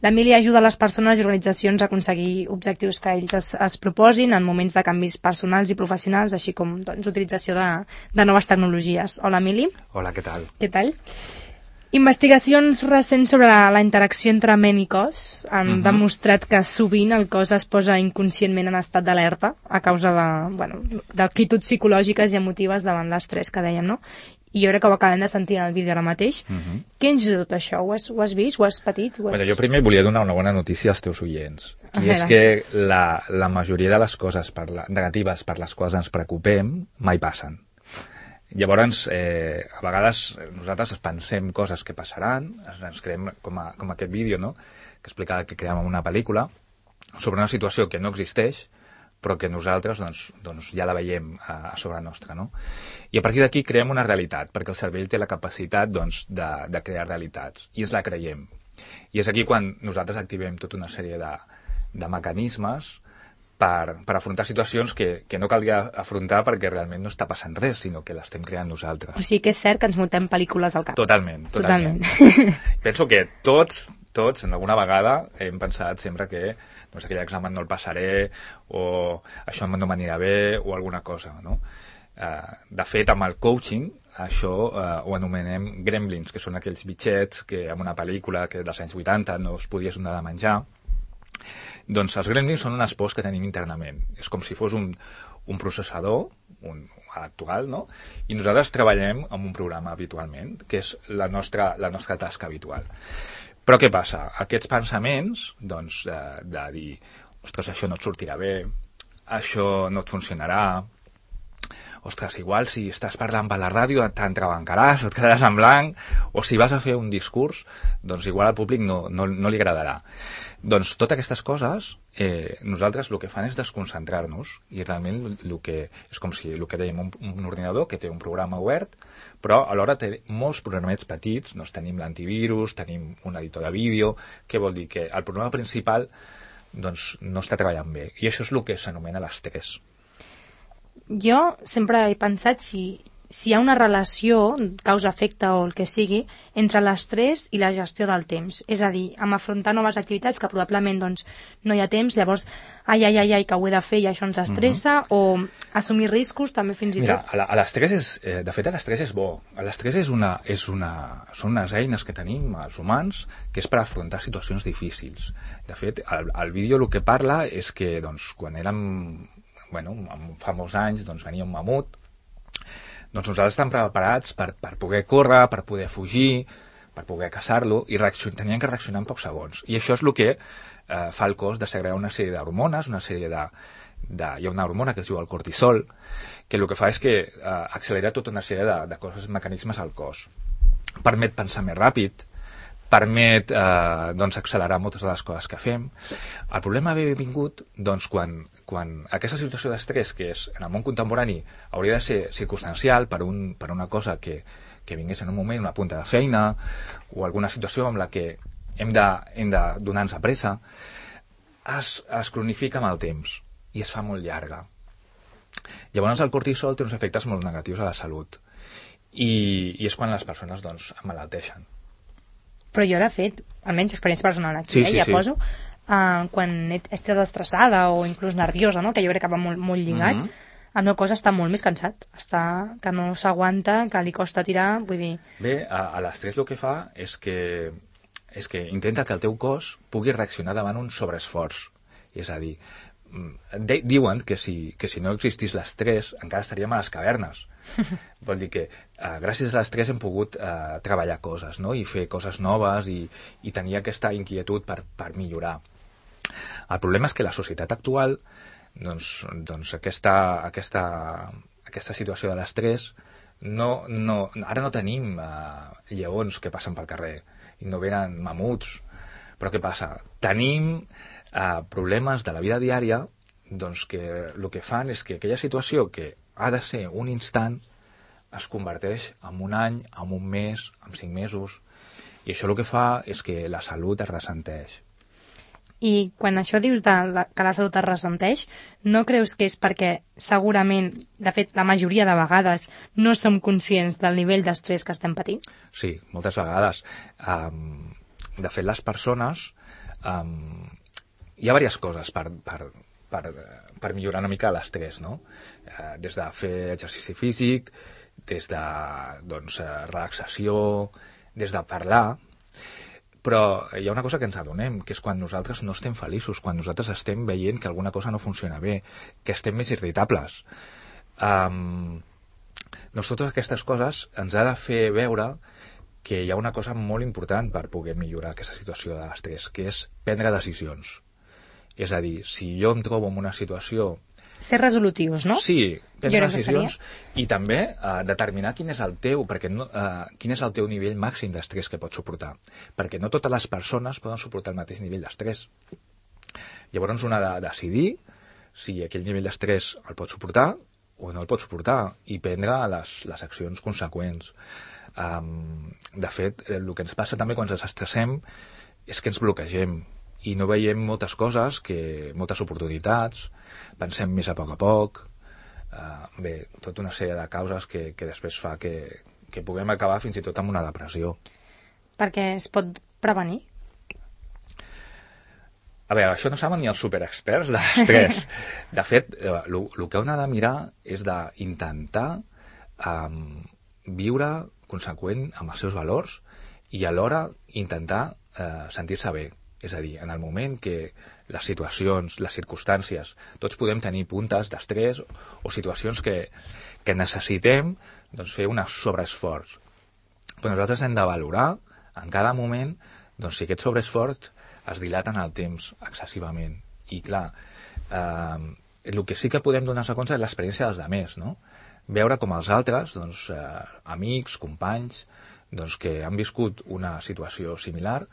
Speaker 2: L'Emili ajuda les persones i organitzacions a aconseguir objectius que ells es proposin en moments de canvis personals i professionals, així com doncs, utilització de noves tecnologies. Hola, Emili.
Speaker 9: Hola, què tal?
Speaker 2: Què tal? Investigacions recents sobre la interacció entre ment i cos han demostrat que sovint el cos es posa inconscientment en estat d'alerta a causa d'actituds psicològiques i emotives davant l'estrès que dèiem, no? I jo crec que ho acabem de sentir en el vídeo ara mateix. Què ens diu tot això? Ho has vist? Ho has patit?
Speaker 9: Bueno, jo primer volia donar una bona notícia als teus oients. I és que la majoria de les coses negatives per les quals ens preocupem mai passen. Llavors, a vegades nosaltres pensem coses que passaran, ens creem com aquest vídeo, no?, que explicava que creàvem una pel·lícula sobre una situació que no existeix, però que nosaltres doncs, ja la veiem a sobre nostra, no? I a partir d'aquí creem una realitat, perquè el cervell té la capacitat de crear realitats, i ens la creiem. I és aquí quan nosaltres activem tota una sèrie de mecanismes per afrontar situacions que no caldria afrontar perquè realment no està passant res, sinó que l'estem creant nosaltres.
Speaker 2: O sigui que és cert que ens muntem pel·lícules al cap.
Speaker 9: Totalment. Penso que tots, en alguna vegada, hem pensat sempre que aquell examen no el passaré, o això no m'anirà bé, o alguna cosa, no? De fet, amb el coaching, això ho anomenem gremlins, que són aquells bitxets que en una pel·lícula que dels anys 80 no es podies donar de menjar. Doncs els gremlins són unes pors que tenim internament. És com si fos un processador, actual, no? I nosaltres treballem amb un programa habitualment, que és la nostra tasca habitual. Però què passa? Aquests pensaments, doncs, de dir, ostres, això no et sortirà bé, això no et funcionarà, ostres, igual si estàs parlant per la ràdio t'entrebancaràs o et quedaràs en blanc, o si vas a fer un discurs, doncs igual al públic no li agradarà. Doncs totes aquestes coses, nosaltres el que fan és desconcentrar-nos, i realment és com si el que dèiem, un ordinador que té un programa obert, però alhora té molts programets petits, doncs tenim l'antivirus, tenim un editor de vídeo, què vol dir? Que el programa principal doncs, no està treballant bé, i això és el que s'anomena l'estrès.
Speaker 2: Jo sempre he pensat si hi ha una relació, causa-efecte o el que sigui, entre l'estrès i la gestió del temps. És a dir, amb afrontar noves activitats que probablement doncs, no hi ha temps, llavors, ai, que ho he de fer i això ens estressa, o assumir riscos també fins i tot.
Speaker 9: Mira, l'estrès és bo. L'estrès són unes eines que tenim els humans que és per afrontar situacions difícils. De fet, el vídeo el que parla és que doncs, quan érem fa molts anys, doncs venia un mamut, doncs nosaltres estem preparats per poder córrer, per poder fugir, per poder caçar-lo, i tenien que reaccionar en pocs segons. I això és el que fa el cos de segregar una sèrie d'hormones, hi ha una hormona que es diu el cortisol, que el que fa és que accelera tota una sèrie de coses, mecanismes al cos. Permet pensar més ràpid, permet accelerar moltes de les coses que fem. El problema ve vingut doncs, quan aquesta situació d'estrès, que és en el món contemporani hauria de ser circumstancial per una cosa que vingués en un moment, una punta de feina, o alguna situació amb la que hem de donar-nos a pressa, es cronifica amb el temps i es fa molt llarga. Llavors el cortisol té uns efectes molt negatius a la salut, i és quan les persones emmalalteixen.
Speaker 2: Però jo, de fet, almenys experiència personal aquí, ja poso, quan he estat estressada o inclús nerviosa, no? Que jo crec que va molt lligat, El meu cos està molt més cansat, que no s'aguanta, que li costa tirar, vull dir...
Speaker 9: Bé, a l'estrès el que fa és que intenta que el teu cos pugui reaccionar davant un sobreesforç. És a dir, diuen que si no existís l'estrès encara estaríem a les cavernes. Vol dir que gràcies a l'estrès hem pogut treballar coses, no? I fer coses noves i tenir aquesta inquietud per millorar. El problema és que la societat actual, doncs aquesta situació de l'estrès, ara no tenim lleons que passen pel carrer i no venen mamuts, però què passa? Tenim problemes de la vida diària, doncs que el que fan és que aquella situació que ha de ser un instant es converteix en un any, en un mes, en 5 mesos, i això el que fa és que la salut es ressenteix.
Speaker 2: I quan això dius que la salut es ressenteix, no creus que és perquè segurament, de fet, la majoria de vegades no som conscients del nivell d'estrès que estem patint?
Speaker 9: Sí, moltes vegades. De fet, les persones... hi ha diverses coses per millorar una mica l'estrès, no? Des de fer exercici físic, des de relaxació, des de parlar... Però hi ha una cosa que ens adonem, que és quan nosaltres no estem feliços, quan nosaltres estem veient que alguna cosa no funciona bé, que estem més irritables. Doncs totes aquestes coses ens ha de fer veure que hi ha una cosa molt important per poder millorar aquesta situació de l'estrès, que és prendre decisions. És a dir, si jo em trobo en una situació...
Speaker 2: Ser resolutius, no?
Speaker 9: Sí, prendre decisions i també determinar quin és el teu nivell màxim d'estrès que pots suportar. Perquè no totes les persones poden suportar el mateix nivell d'estrès. Llavors un ha de decidir si aquell nivell d'estrès el pot suportar o no el pot suportar i prendre les accions conseqüents. De fet, el que ens passa també quan ens estressem és que ens bloquegem i no veiem moltes coses, moltes oportunitats, pensem més a poc, bé, tota una sèrie de causes que després fa que puguem acabar fins i tot amb una depressió.
Speaker 2: Perquè es pot prevenir?
Speaker 9: A veure, això no saben ni els superexperts de l'estrès. De fet, el que un ha de mirar és d'intentar viure conseqüent amb els seus valors i alhora intentar sentir-se bé. És a dir, en el moment que les situacions, les circumstàncies, tots podem tenir puntes d'estrès o situacions que necessitem fer un sobreesforç. Però nosaltres hem de valorar en cada moment si aquest sobreesforç es dilata en el temps excessivament. I clar, el que sí que podem donar-se compte és l'experiència dels altres, no? Veure com els altres, amics, companys, que han viscut una situació similar,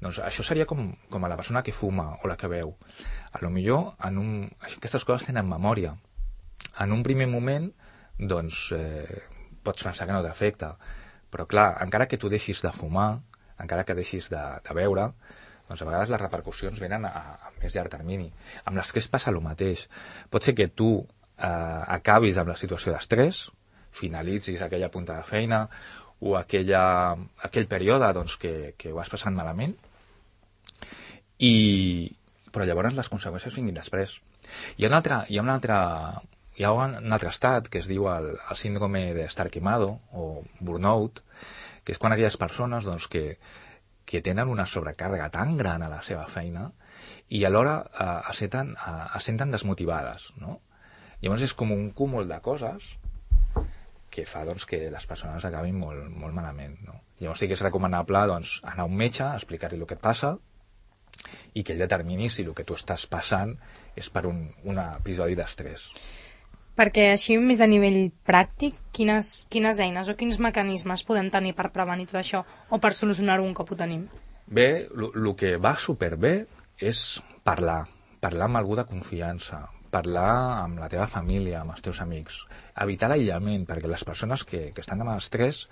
Speaker 9: això seria com a la persona que fuma o la que beu. A lo millor aquestes coses tenen memòria. En un primer moment pots pensar que no t'afecta, però clar, encara que tu deixis de fumar, encara que deixis de beure, a vegades les repercussions venen a més llarg termini. Amb l'estrès passa el mateix. Pot ser que tu acabis amb la situació d'estrès, finalitzis aquella punta de feina o aquell període que ho has passat malament, però llavors les conseqüències vinguin després. Hi ha un altre estat que es diu el síndrome d'estar quemado o burnout, que és quan aquelles persones que tenen una sobrecàrrega tan gran a la seva feina i alhora es senten desmotivades, no? Llavors és com un cúmul de coses que fa que les persones acabin molt, molt malament, no? Llavors sí que és recomanable anar a un metge, explicar-li el que et passa i que ell determini si el que tu estàs passant és per un episodi d'estrès.
Speaker 2: Perquè així, més a nivell pràctic, quines eines o quins mecanismes podem tenir per prevenir tot això o per solucionar-ho un cop ho tenim?
Speaker 9: Bé, el que va superbé és parlar amb algú de confiança, parlar amb la teva família, amb els teus amics, evitar l'aïllament, perquè les persones que estan amb estrès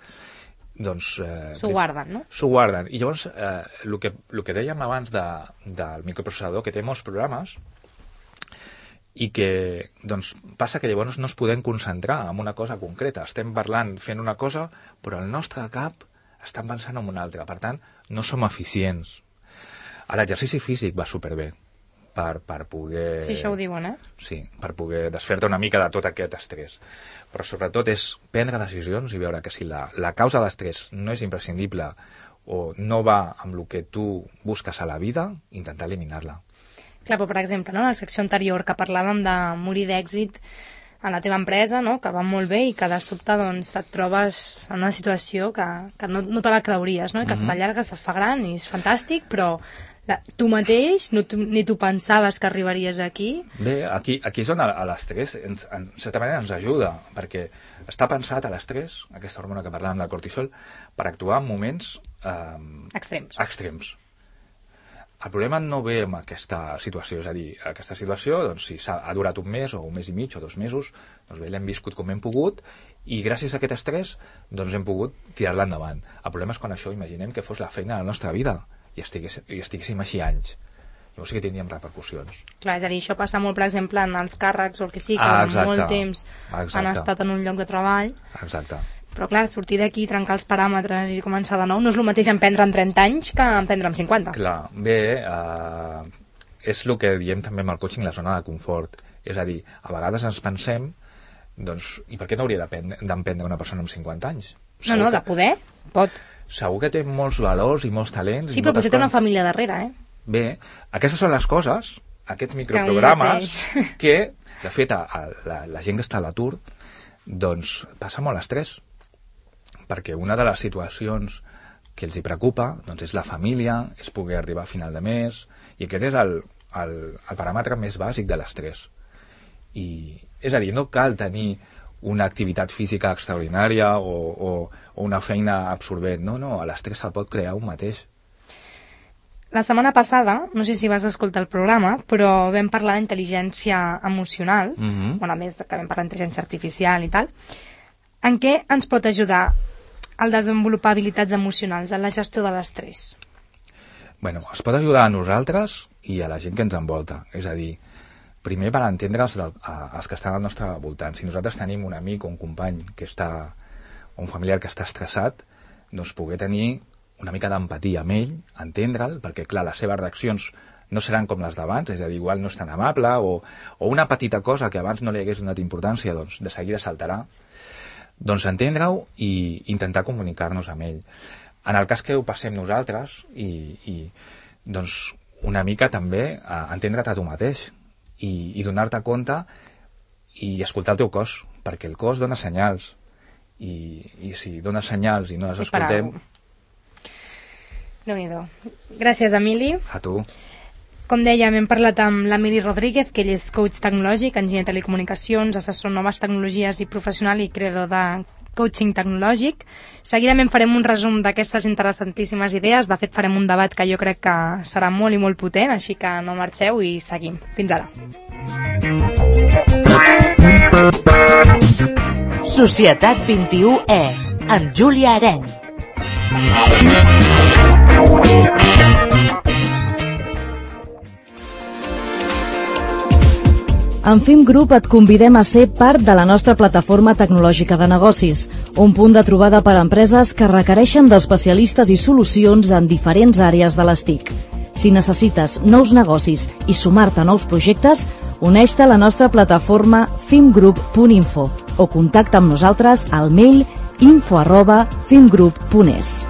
Speaker 2: s'ho guarden, no?
Speaker 9: S'ho guarden. I llavors, el que dèiem abans del microprocessador, que té molts programes, i que passa que llavors no es podem concentrar en una cosa concreta. Estem parlant, fent una cosa, però el nostre cap està pensant en una altra. Per tant, no som eficients. L'exercici físic va superbé. per poder...
Speaker 2: Sí, això ho diuen,
Speaker 9: Sí, per poder desfer-te una mica de tot aquest estrès. Però sobretot és prendre decisions i veure que si la causa de l'estrès no és imprescindible o no va amb el que tu busques a la vida, intentar eliminar-la.
Speaker 2: Clar, però per exemple, no, la secció anterior que parlàvem de morir d'èxit a la teva empresa, no? Que va molt bé i que de sobte doncs, et trobes en una situació que no te la creuries, no? I que se t'allarga, se fa gran i és fantàstic, però tu mateix ni tu pensaves que arribaries aquí.
Speaker 9: Bé, aquí és on l'estrès en certa manera ens ajuda, perquè està pensat a l'estrès, aquesta hormona que parlàvem del cortisol, per actuar en moments extrems. El problema no ve amb aquesta situació, és a dir, aquesta situació, doncs, si ha durat un mes o un mes i mig o 2 mesos, doncs bé, l'hem viscut com hem pogut i gràcies a aquest estrès doncs hem pogut tirar-la endavant. El problema és quan això, imaginem que fos la feina de la nostra vida i estiguéssim així anys. Llavors sí que tindríem repercussions.
Speaker 2: Clar, és a dir, això passa molt, per exemple, en els càrrecs o el que sí, que molt temps han estat en un lloc de treball.
Speaker 9: Exacte.
Speaker 2: Però clar, sortir d'aquí, trencar els paràmetres i començar de nou no és el mateix emprendre en 30 anys que emprendre en 50.
Speaker 9: Clar, bé, és el que diem també amb el coaching, la zona de confort. És a dir, a vegades ens pensem, doncs, i per què no hauria d'emprendre una persona amb 50 anys?
Speaker 2: No, de poder, pot.
Speaker 9: Segur que té molts valors i molts talents.
Speaker 2: Sí, però potser té una família darrere,
Speaker 9: Bé, aquestes són les coses, aquests microprogrames, que, de fet, la gent que està a l'atur, doncs, passa molt estrès. Perquè una de les situacions que els hi preocupa doncs és la família, és poder arribar a final de mes, i aquest és el paràmetre més bàsic de l'estrès. És a dir, no cal tenir una activitat física extraordinària o una feina absorbent. No, l'estrès se'l pot crear un mateix.
Speaker 2: La setmana passada, no sé si vas escoltar el programa, però vam parlar d'intel·ligència emocional, a més que vam parlar d'intel·ligència artificial i tal. En què ens pot ajudar el desenvolupar habilitats emocionals, en la gestió de l'estrès?
Speaker 9: Bueno, es pot ajudar a nosaltres i a la gent que ens envolta. És a dir, primer per entendre els que estan al nostre voltant. Si nosaltres tenim un amic o un company que està, o un familiar que està estressat, doncs poder tenir una mica d'empatia amb ell, entendre'l, perquè clar, les seves reaccions no seran com les d'abans, és a dir, igual no és tan amable, o una petita cosa que abans no li hagués donat importància, doncs de seguida saltarà. Doncs entendre-ho i intentar comunicar-nos amb ell. En el cas que ho passem nosaltres, doncs una mica també entendre't a tu mateix i donar-te compte i escoltar el teu cos, perquè el cos dona senyals i si dona senyals i no les escoltem...
Speaker 2: Déu-n'hi-do. Gràcies, Emili.
Speaker 9: A tu.
Speaker 2: Com dèiem, hem parlat amb l'Emili Rodríguez, que ell és coach tecnològic, enginyer de telecomunicacions, assessor en noves tecnologies i professional i creador de coaching tecnològic. Seguidament farem un resum d'aquestes interessantíssimes idees. De fet, farem un debat que jo crec que serà molt i molt potent, així que no marxeu i seguim. Fins ara.
Speaker 1: Societat 21E, amb Júlia Areny.
Speaker 6: En FIM Group et convidem a ser part de la nostra plataforma tecnològica de negocis, un punt de trobada per a empreses que requereixen d'especialistes i solucions en diferents àrees de les TIC. Si necessites nous negocis i sumar-te a nous projectes, uneix-te a la nostra plataforma fimgroup.info o contacta amb nosaltres al mail info@fimgroup.es.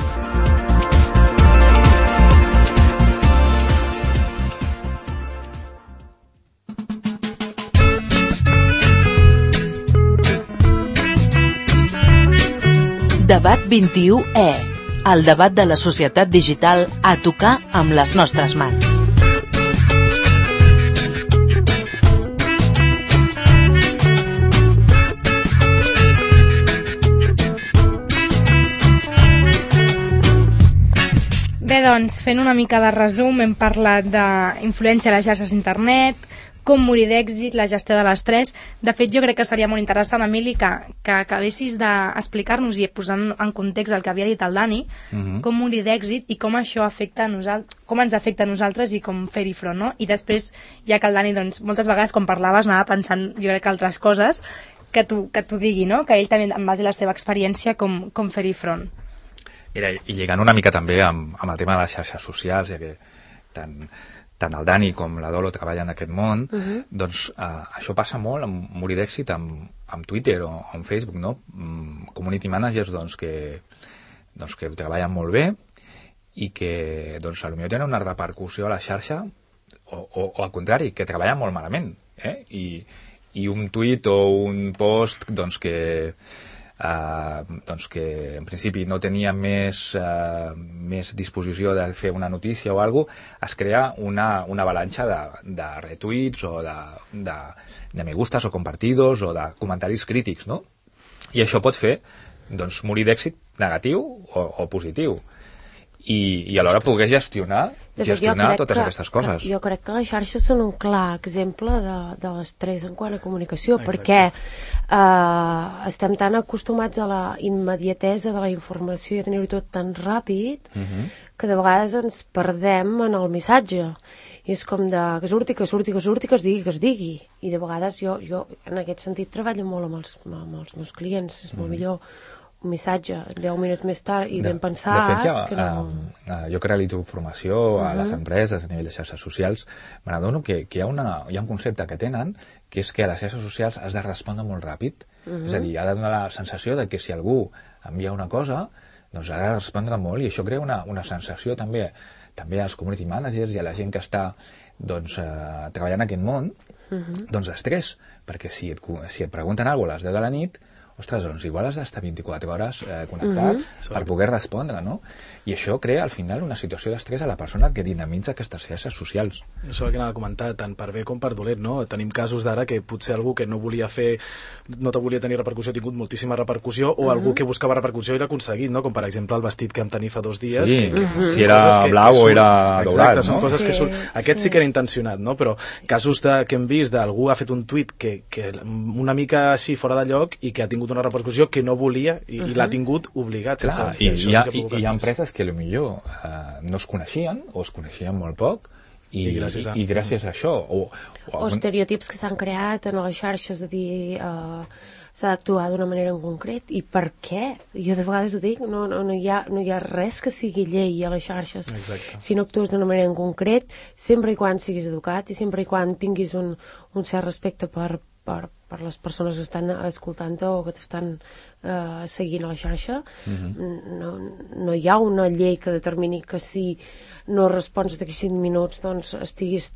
Speaker 1: Debat 21E, el debat de la societat digital a tocar amb les nostres mans.
Speaker 2: Bé, doncs, fent una mica de resum, hem parlat d'influència a les xarxes d'internet, com morir d'èxit, la gestió de l'estrès. De fet, jo crec que seria molt interessant, Emili, que acabessis d'explicar-nos i posant en context el que havia dit el Dani, com morir d'èxit i com això afecta a nosaltres, com ens afecta a nosaltres i com fer-hi front, no? I després, ja que el Dani, doncs, moltes vegades quan parlaves anava pensant, jo crec que altres coses que tu digui, no? Que ell també, en base a la seva experiència, com fer-hi front. Mira,
Speaker 9: i lligant una mica també amb el tema de les xarxes socials, ja que tant tant el Dani com la Dolo treballen en aquest món, doncs això passa molt amb morir d'èxit amb Twitter o amb Facebook, no? Community managers doncs, que ho treballen molt bé i que doncs, potser tenen una repercussió a la xarxa o al contrari, que treballen molt malament, i un tuit o un post doncs, que en principi no tenia més disposició de fer una notícia o alguna cosa, es crea una avalanxa de retuits o de me gustas o compartidos o de comentaris crítics, no? I això pot fer doncs, morir d'èxit negatiu o positiu. I alhora poder gestionar totes aquestes coses.
Speaker 4: Jo crec que les xarxes són un clar exemple de l'estrès en quant a comunicació, perquè estem tan acostumats a la immediatesa de la informació i a tenir-ho tot tan ràpid que de vegades ens perdem en el missatge. I és com que surti, que es digui. I de vegades jo en aquest sentit treballo molt amb els meus clients. És molt millor un missatge 10 minuts més tard i ben pensat.
Speaker 9: De fet, jo que realitzo formació a les empreses a nivell de xarxes socials, me n'adono que hi ha un concepte que tenen, que és que a les xarxes socials has de respondre molt ràpid. És a dir, ha de donar la sensació de que si algú envia una cosa, doncs ha de respondre molt, i això crea una sensació també als community managers i a la gent que està treballant en aquest món, doncs d'estrès, perquè si et pregunten alguna cosa a les 10 de la nit, ostres, doncs igual has d'estar 24 hores connectat per poder respondre, no? I això crea al final una situació d'estrès a la persona que dinamitza aquestes xarxes socials.
Speaker 7: Això que anava a comentar, tant per bé com per dolent, no? Tenim casos d'ara que potser algú que no volia volia tenir repercussió ha tingut moltíssima repercussió, o algú que buscava repercussió i l'ha aconseguit, no? Com per exemple el vestit que vam tenir fa 2 dies.
Speaker 9: Sí, si era blau o era daurat, no?
Speaker 7: Són coses que surt. Aquest sí que era intencionat, no? Però casos que hem vist d'algú ha fet un tuit que una mica així fora de lloc i que ha tingut una repercussió que no volia i l'ha tingut obligat.
Speaker 9: Clar, i hi ha empreses que potser no es coneixien o es coneixien molt poc i gràcies a això o
Speaker 4: estereotips que s'han creat en les xarxes de dir s'ha d'actuar d'una manera en concret. I per què? Jo de vegades ho dic, no hi ha res que sigui llei a les xarxes.
Speaker 7: Exacte.
Speaker 4: Si no actues d'una manera en concret, sempre i quan siguis educat i sempre i quan tinguis un cert respecte per les persones que estan escoltant-te o que t'estan seguint a la xarxa. No hi ha una llei que determini que si no respons d'aquí 5 minuts doncs estiguis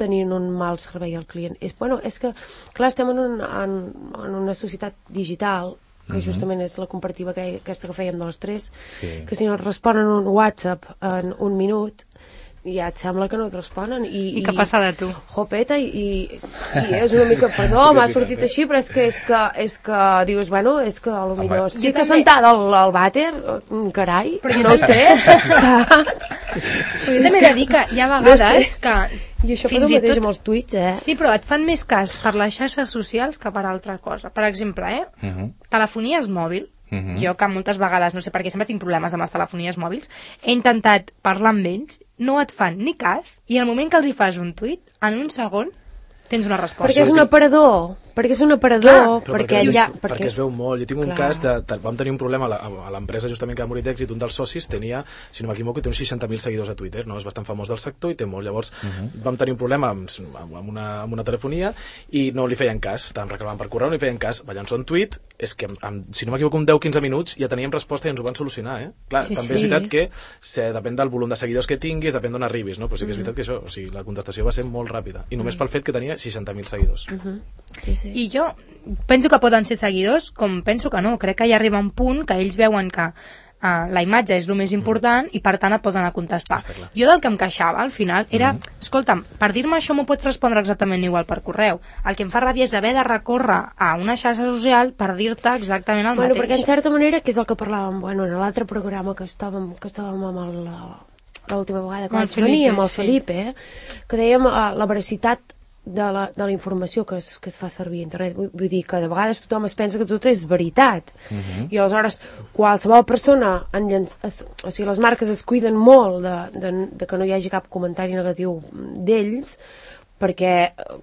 Speaker 4: tenint un mal servei al client. És que, clar, estem en una societat digital que justament és la comparativa aquesta que fèiem de les 3, que si no et responen un WhatsApp en 1 minut ja et sembla que no et responen
Speaker 2: i què passa de tu?
Speaker 4: Jopeta, i és una mica, perdó, m'ha sortit així, però és que dius, és que potser estic assentada al vàter, carai, no ho sé, saps?
Speaker 2: Però jo també he de dir que hi ha vegades que
Speaker 4: i això passa el mateix amb els tuits,
Speaker 2: Sí, però et fan més cas per les xarxes socials que per altra cosa. Per exemple, telefonies mòbil. Jo que moltes vegades, no sé per què sempre tinc problemes amb les telefonies mòbils, he intentat parlar amb ells, no et fan ni cas, i al moment que els hi fas un tuit, en un segon tens una resposta.
Speaker 4: Perquè és un aparador, perquè
Speaker 7: es veu molt. Jo tinc un cas vam tenir un problema a l'empresa justament que ha morit d'èxit. Un dels socis tenia, si no m'equivoco, té uns 60.000 seguidors a Twitter, no? És bastant famós del sector i té molt. Llavors vam tenir un problema amb una telefonia i no li feien cas, estàvem reclamant per correu, no li feien cas, va llançar un tuit, és que si no m'equivoco en 10-15 minuts ja teníem resposta i ens ho van solucionar, Clar, també és veritat que depèn del volum de seguidors que tinguis, depèn d'on arribis, no? Però sí que és veritat que això, la contestació va ser molt ràpida i només pel fet que tenia 60.000 seguidors.
Speaker 2: I jo penso que poden ser seguidors, com penso que no. Crec que hi arriba un punt que ells veuen que la imatge és el més important i per tant et posen a contestar. Jo del que em queixava al final era, escolta'm, per dir-me això m'ho pots respondre exactament igual per correu. El que em fa ràbia és haver de recórrer a una xarxa social per dir-te exactament el mateix.
Speaker 4: Perquè en certa manera, que és el que parlàvem en l'altre programa que estàvem amb l'última vegada que vaig venir amb el Felipe, que dèiem la veracitat de la informació que es fa servir a internet. Vull dir que de vegades tothom es pensa que tot és veritat i aleshores qualsevol persona les marques es cuiden molt de que no hi hagi cap comentari negatiu d'ells, perquè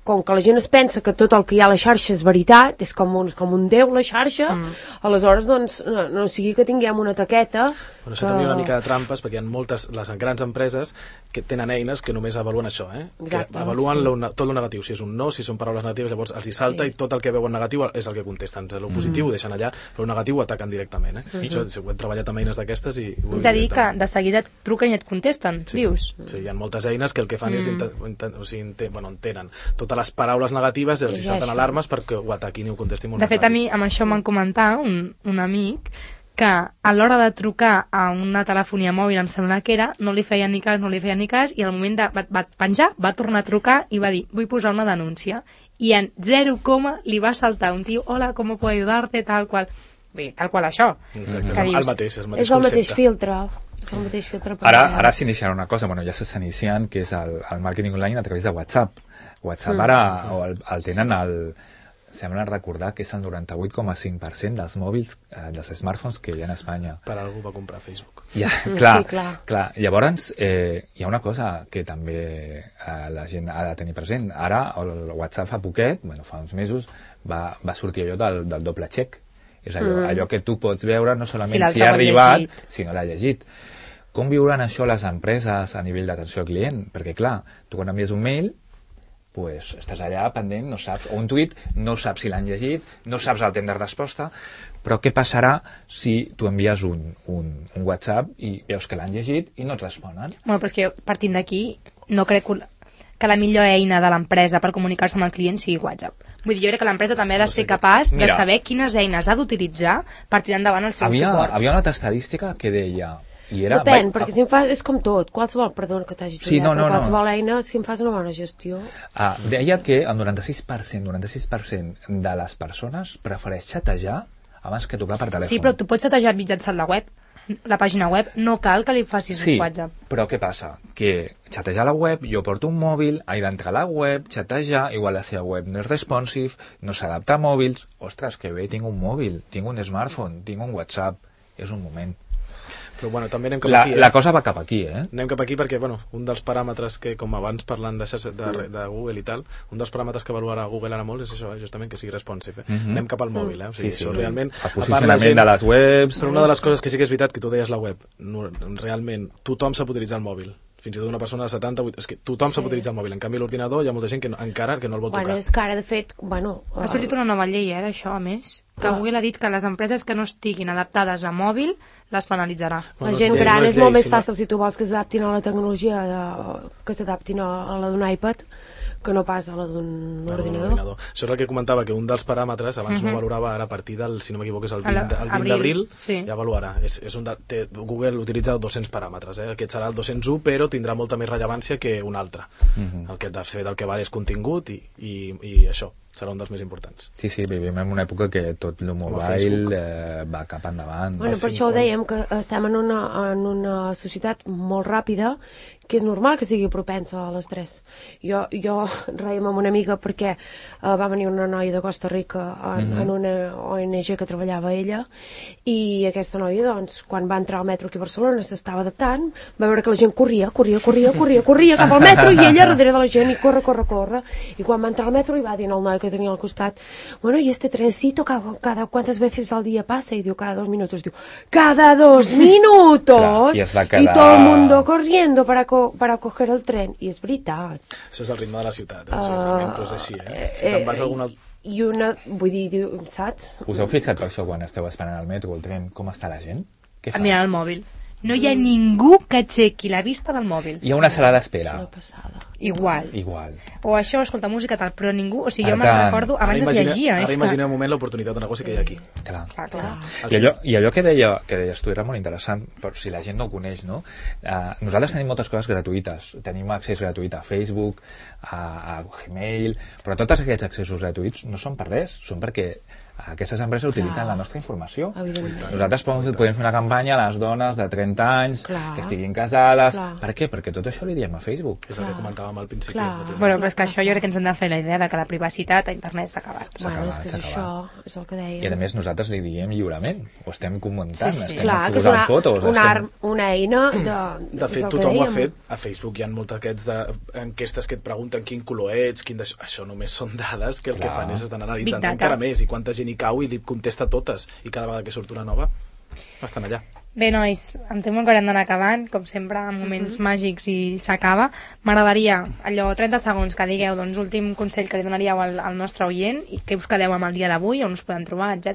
Speaker 4: com que la gent es pensa que tot el que hi ha a la xarxa és veritat, és com un déu la xarxa, aleshores doncs no sigui que tinguem una taqueta
Speaker 7: Bueno, això també hi ha una mica de trampes, perquè hi ha moltes, les grans empreses que tenen eines que només avaluen això, que avaluen tot el negatiu, si és un no, si són paraules negatives, llavors els hi salta i tot el que veuen negatiu és el que contesten, el positiu ho deixen allà, però el negatiu ho ataquen directament. Això ho hem treballat amb eines d'aquestes i...
Speaker 2: És a dir, que de seguida et truquen i et contesten, dius?
Speaker 7: Sí, hi ha moltes eines que el que fan és entenen totes les paraules negatives i els hi salten alarmes perquè ho ataquin i ho contestin molt.
Speaker 2: De fet, a mi amb això m'han comentat un amic que a l'hora de trucar a una telefonia mòbil, em sembla que era, no li feia ni cas, i al moment de va penjar, va tornar a trucar i va dir, vull posar una denúncia. I en 0, li va saltar un tio, hola, com puedo ayudarte, tal qual. Bé, tal qual això.
Speaker 7: Exacte, és el mateix
Speaker 4: és el mateix filtre. És el mateix filtre.
Speaker 9: Ara s'iniciarà una cosa, ja s'està iniciant, que és el màrqueting online a través de WhatsApp. WhatsApp ara el tenen sembla recordar que és el 98,5% dels mòbils, dels smartphones que hi ha a Espanya.
Speaker 7: Per algú va comprar Facebook.
Speaker 9: Clar. Llavors, hi ha una cosa que també la gent ha de tenir present. Ara, el WhatsApp fa poquet, fa uns mesos, va sortir allò del doble check. És allò que tu pots veure no solament si ha arribat, sinó l'ha llegit. Com viuran això les empreses a nivell d'atenció al client? Perquè, clar, tu quan envies un mail, estàs allà pendent, no saps, o un tuit, no saps si l'han llegit, no saps el temps de resposta, però què passarà si tu envies un WhatsApp i veus que l'han llegit i no et responen?
Speaker 2: Bueno, però és que partint d'aquí, no crec que la millor eina de l'empresa per comunicar-se amb el client sigui WhatsApp. Vull dir, jo crec que l'empresa també ha de ser capaç de saber quines eines ha d'utilitzar per tirar endavant el seu suport.
Speaker 9: Havia una altra estadística que deia...
Speaker 4: Depèn, perquè si em fas, és com tot, qualsevol, perdona que t'hagi tallat, qualsevol eina, si em fas una bona gestió...
Speaker 9: Deia que el 96% de les persones prefereix xatejar abans que trucar per telèfon.
Speaker 2: Sí, però tu pots xatejar mitjançant la web, la pàgina web, no cal que li facis un WhatsApp.
Speaker 9: Sí, però què passa? Que xatejar la web, jo porto un mòbil, he d'entrar a la web, xatejar, igual la seva web no és responsive, no s'adapta a mòbils... Ostres, que bé, tinc un mòbil, tinc un smartphone, tinc un WhatsApp, és un moment.
Speaker 7: Però també anem cap aquí.
Speaker 9: La cosa va cap aquí,
Speaker 7: Anem cap aquí perquè, un dels paràmetres que, com abans parlant de Google i tal, un dels paràmetres que avaluarà Google ara molt és això, justament que sigui responsive. Anem cap al mòbil, O sigui, això realment...
Speaker 9: El posicionament de les webs...
Speaker 7: Però una de les coses que sí que és veritat, que tu deies la web, realment, tothom sap utilitzar el mòbil. Fins i tot una persona de 78... És que tothom sap utilitzar el mòbil. En canvi, l'ordinador hi ha molta gent que encara que no el vol tocar.
Speaker 4: És que ara, de fet...
Speaker 2: Ha sortit una nova llei, d'això, a més, que Google ha dit que les empreses que no estiguin adaptades a mòbil les penalitzarà.
Speaker 4: La gent gran és molt més fàcil si tu vols que s'adaptin a la tecnologia, que s'adaptin a la d'un iPad, que no pas a la d'un ordinador.
Speaker 7: Això és el que comentava, que un dels paràmetres, abans no valorava, ara a partir del, si no m'equivoco, és el 20 d'abril, ja avaluarà. Google utilitza 200 paràmetres, aquest serà el 201, però tindrà molta més rellevància que un altre. El que de fet el que val és contingut i això serà un dels més importants.
Speaker 9: Sí, vivim en una època que tot el mobile va cap endavant.
Speaker 4: Per això ho dèiem, que estem en una societat molt ràpida, que és normal que sigui propensa a l'estrès. Jo reiem amb una amiga perquè va venir una noia de Costa Rica en una ONG que treballava ella, i aquesta noia, doncs, quan va entrar al metro aquí a Barcelona s'estava adaptant, va veure que la gent corria cap al metro i ella darrere de la gent i corre, i quan va entrar al metro li va dir al noi que tenia al costat, bueno, y este trencito ¿cuántas veces al día pasa? Y diu, cada 2 minutos. Diu, cada 2 minutos!
Speaker 9: I
Speaker 4: todo el mundo corriendo para coger el tren. I és veritat.
Speaker 7: Això és el ritme de la ciutat, però és així, Si te'n vas a alguna...
Speaker 4: I vull dir, saps?
Speaker 9: Us heu fixat per això quan esteu esperant el metro o el tren, com està la gent? Què fa?
Speaker 2: Mirant el mòbil. No hi ha ningú que aixequi la vista del mòbil.
Speaker 9: Hi ha una sala d'espera.
Speaker 2: Igual. O això, escolta música tal, però ningú... O sigui, jo me'n recordo, abans es llegia.
Speaker 7: Ara imaginem un moment l'oportunitat de negoci que hi ha aquí.
Speaker 9: Clar. I allò que deies tu era molt interessant, però si la gent no ho coneix, no? Nosaltres tenim moltes coses gratuïtes. Tenim accés gratuït a Facebook, a Gmail, però tots aquests accessos gratuïts no són per res, són perquè aquestes empreses utilitzen la nostra informació.
Speaker 4: Evidentment.
Speaker 9: Nosaltres podem fer una campanya a les dones de 30 anys que estiguin casades. Per què? Perquè tot això li diem a Facebook.
Speaker 7: És el que comentàvem al principi.
Speaker 2: Bueno, però és que això jo crec que ens hem de fer la idea de que la privacitat a internet s'ha acabat.
Speaker 4: Bueno, és que és això, és el que dèiem.
Speaker 9: I a més nosaltres li diem lliurement, ho estem comentant, estem
Speaker 4: que és
Speaker 9: posant fotos.
Speaker 4: Una eina
Speaker 7: de fet, tothom ho ha fet. A Facebook hi ha molts d'aquests enquestes que et pregunten quin color ets, això només són dades que el que fan és estan analitzant encara més i quanta gent hi cau i li contesta totes i cada vegada que surt una nova estan allà.
Speaker 2: Bé, nois, em temo que haurem d'anar acabant, com sempre, en moments màgics i s'acaba. M'agradaria, allò, 30 segons que digueu, doncs, últim consell que li donaríeu al nostre oient i què us quedeu amb el dia d'avui, on us podem trobar, etc.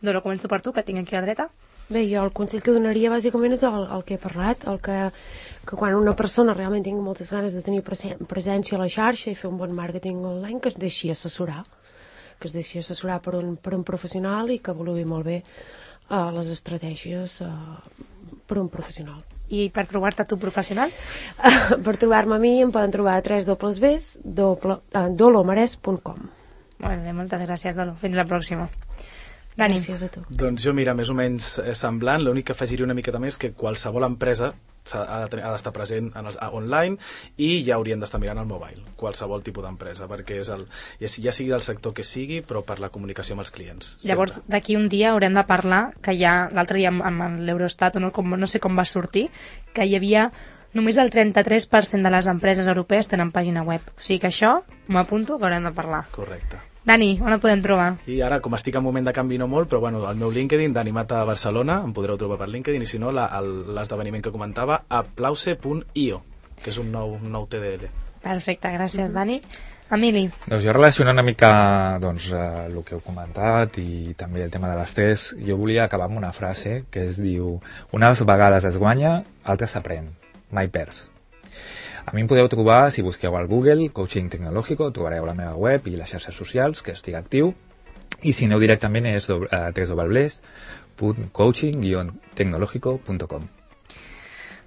Speaker 2: Doro, començo per tu, que tinc aquí a la dreta.
Speaker 4: Bé, jo el consell que donaria bàsicament és el que he parlat, el que quan una persona realment tingui moltes ganes de tenir presència a la xarxa i fer un bon màrqueting online, que es deixi assessorar, per un professional i que avaluï molt bé les estratègies per un professional.
Speaker 2: I per trobar-te tu professional?
Speaker 4: Per trobar-me a mi em poden trobar a www.dolomares.com.
Speaker 2: Molt bé, moltes gràcies, Dolo. Fins la pròxima. Dani.
Speaker 4: Gràcies a tu.
Speaker 7: Doncs jo, mira, més o menys semblant, l'únic que afegiria una miqueta més que qualsevol empresa ha d'estar present online i ja haurien d'estar mirant el mobile, qualsevol tipus d'empresa, perquè és ja sigui del sector que sigui, però per la comunicació amb els clients.
Speaker 2: Llavors, d'aquí un dia haurem de parlar, que ja l'altre dia amb l'Eurostat, no sé com va sortir, que hi havia només el 33% de les empreses europees tenen pàgina web. O sigui que això m'apunto que haurem de parlar.
Speaker 7: Correcte.
Speaker 2: Dani, on et podem trobar?
Speaker 7: I ara, com estic en moment de canvi no molt, però bueno, el meu LinkedIn, Dani Mata Barcelona, em podreu trobar per LinkedIn, i si no, l'esdeveniment que comentava, aplause.io, que és un nou TDL.
Speaker 2: Perfecte, gràcies, Dani. Emili.
Speaker 9: Doncs jo relacionant una mica el que heu comentat i també el tema de l'estrès, jo volia acabar amb una frase que es diu: unes vegades es guanya, altres s'aprèn, mai perds. A mi em podeu trobar, si busqueu al Google, Coaching Tecnológico, trobareu la meva web i les xarxes socials, que estic actiu, i si aneu directament és www.coaching-tecnológico.com.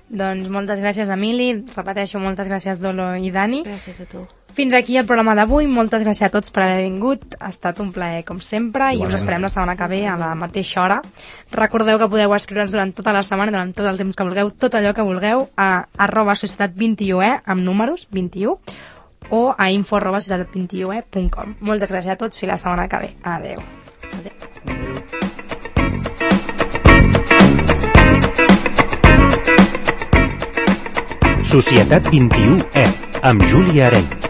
Speaker 2: Doncs moltes gràcies, Emili, repeteixo, moltes gràcies, Dolo i Dani.
Speaker 4: Gràcies a tu.
Speaker 2: Fins aquí el programa d'avui, moltes gràcies a tots per haver vingut, ha estat un plaer com sempre i us esperem la setmana que ve a la mateixa hora. Recordeu que podeu escriure'ns durant tota la setmana, durant tot el temps que vulgueu, tot allò que vulgueu, a @societat21e, amb números, 21, o a info@societat21e.com. Moltes gràcies a tots, fins la setmana que ve. Adeu.
Speaker 5: Societat 21E, amb Júlia Areny.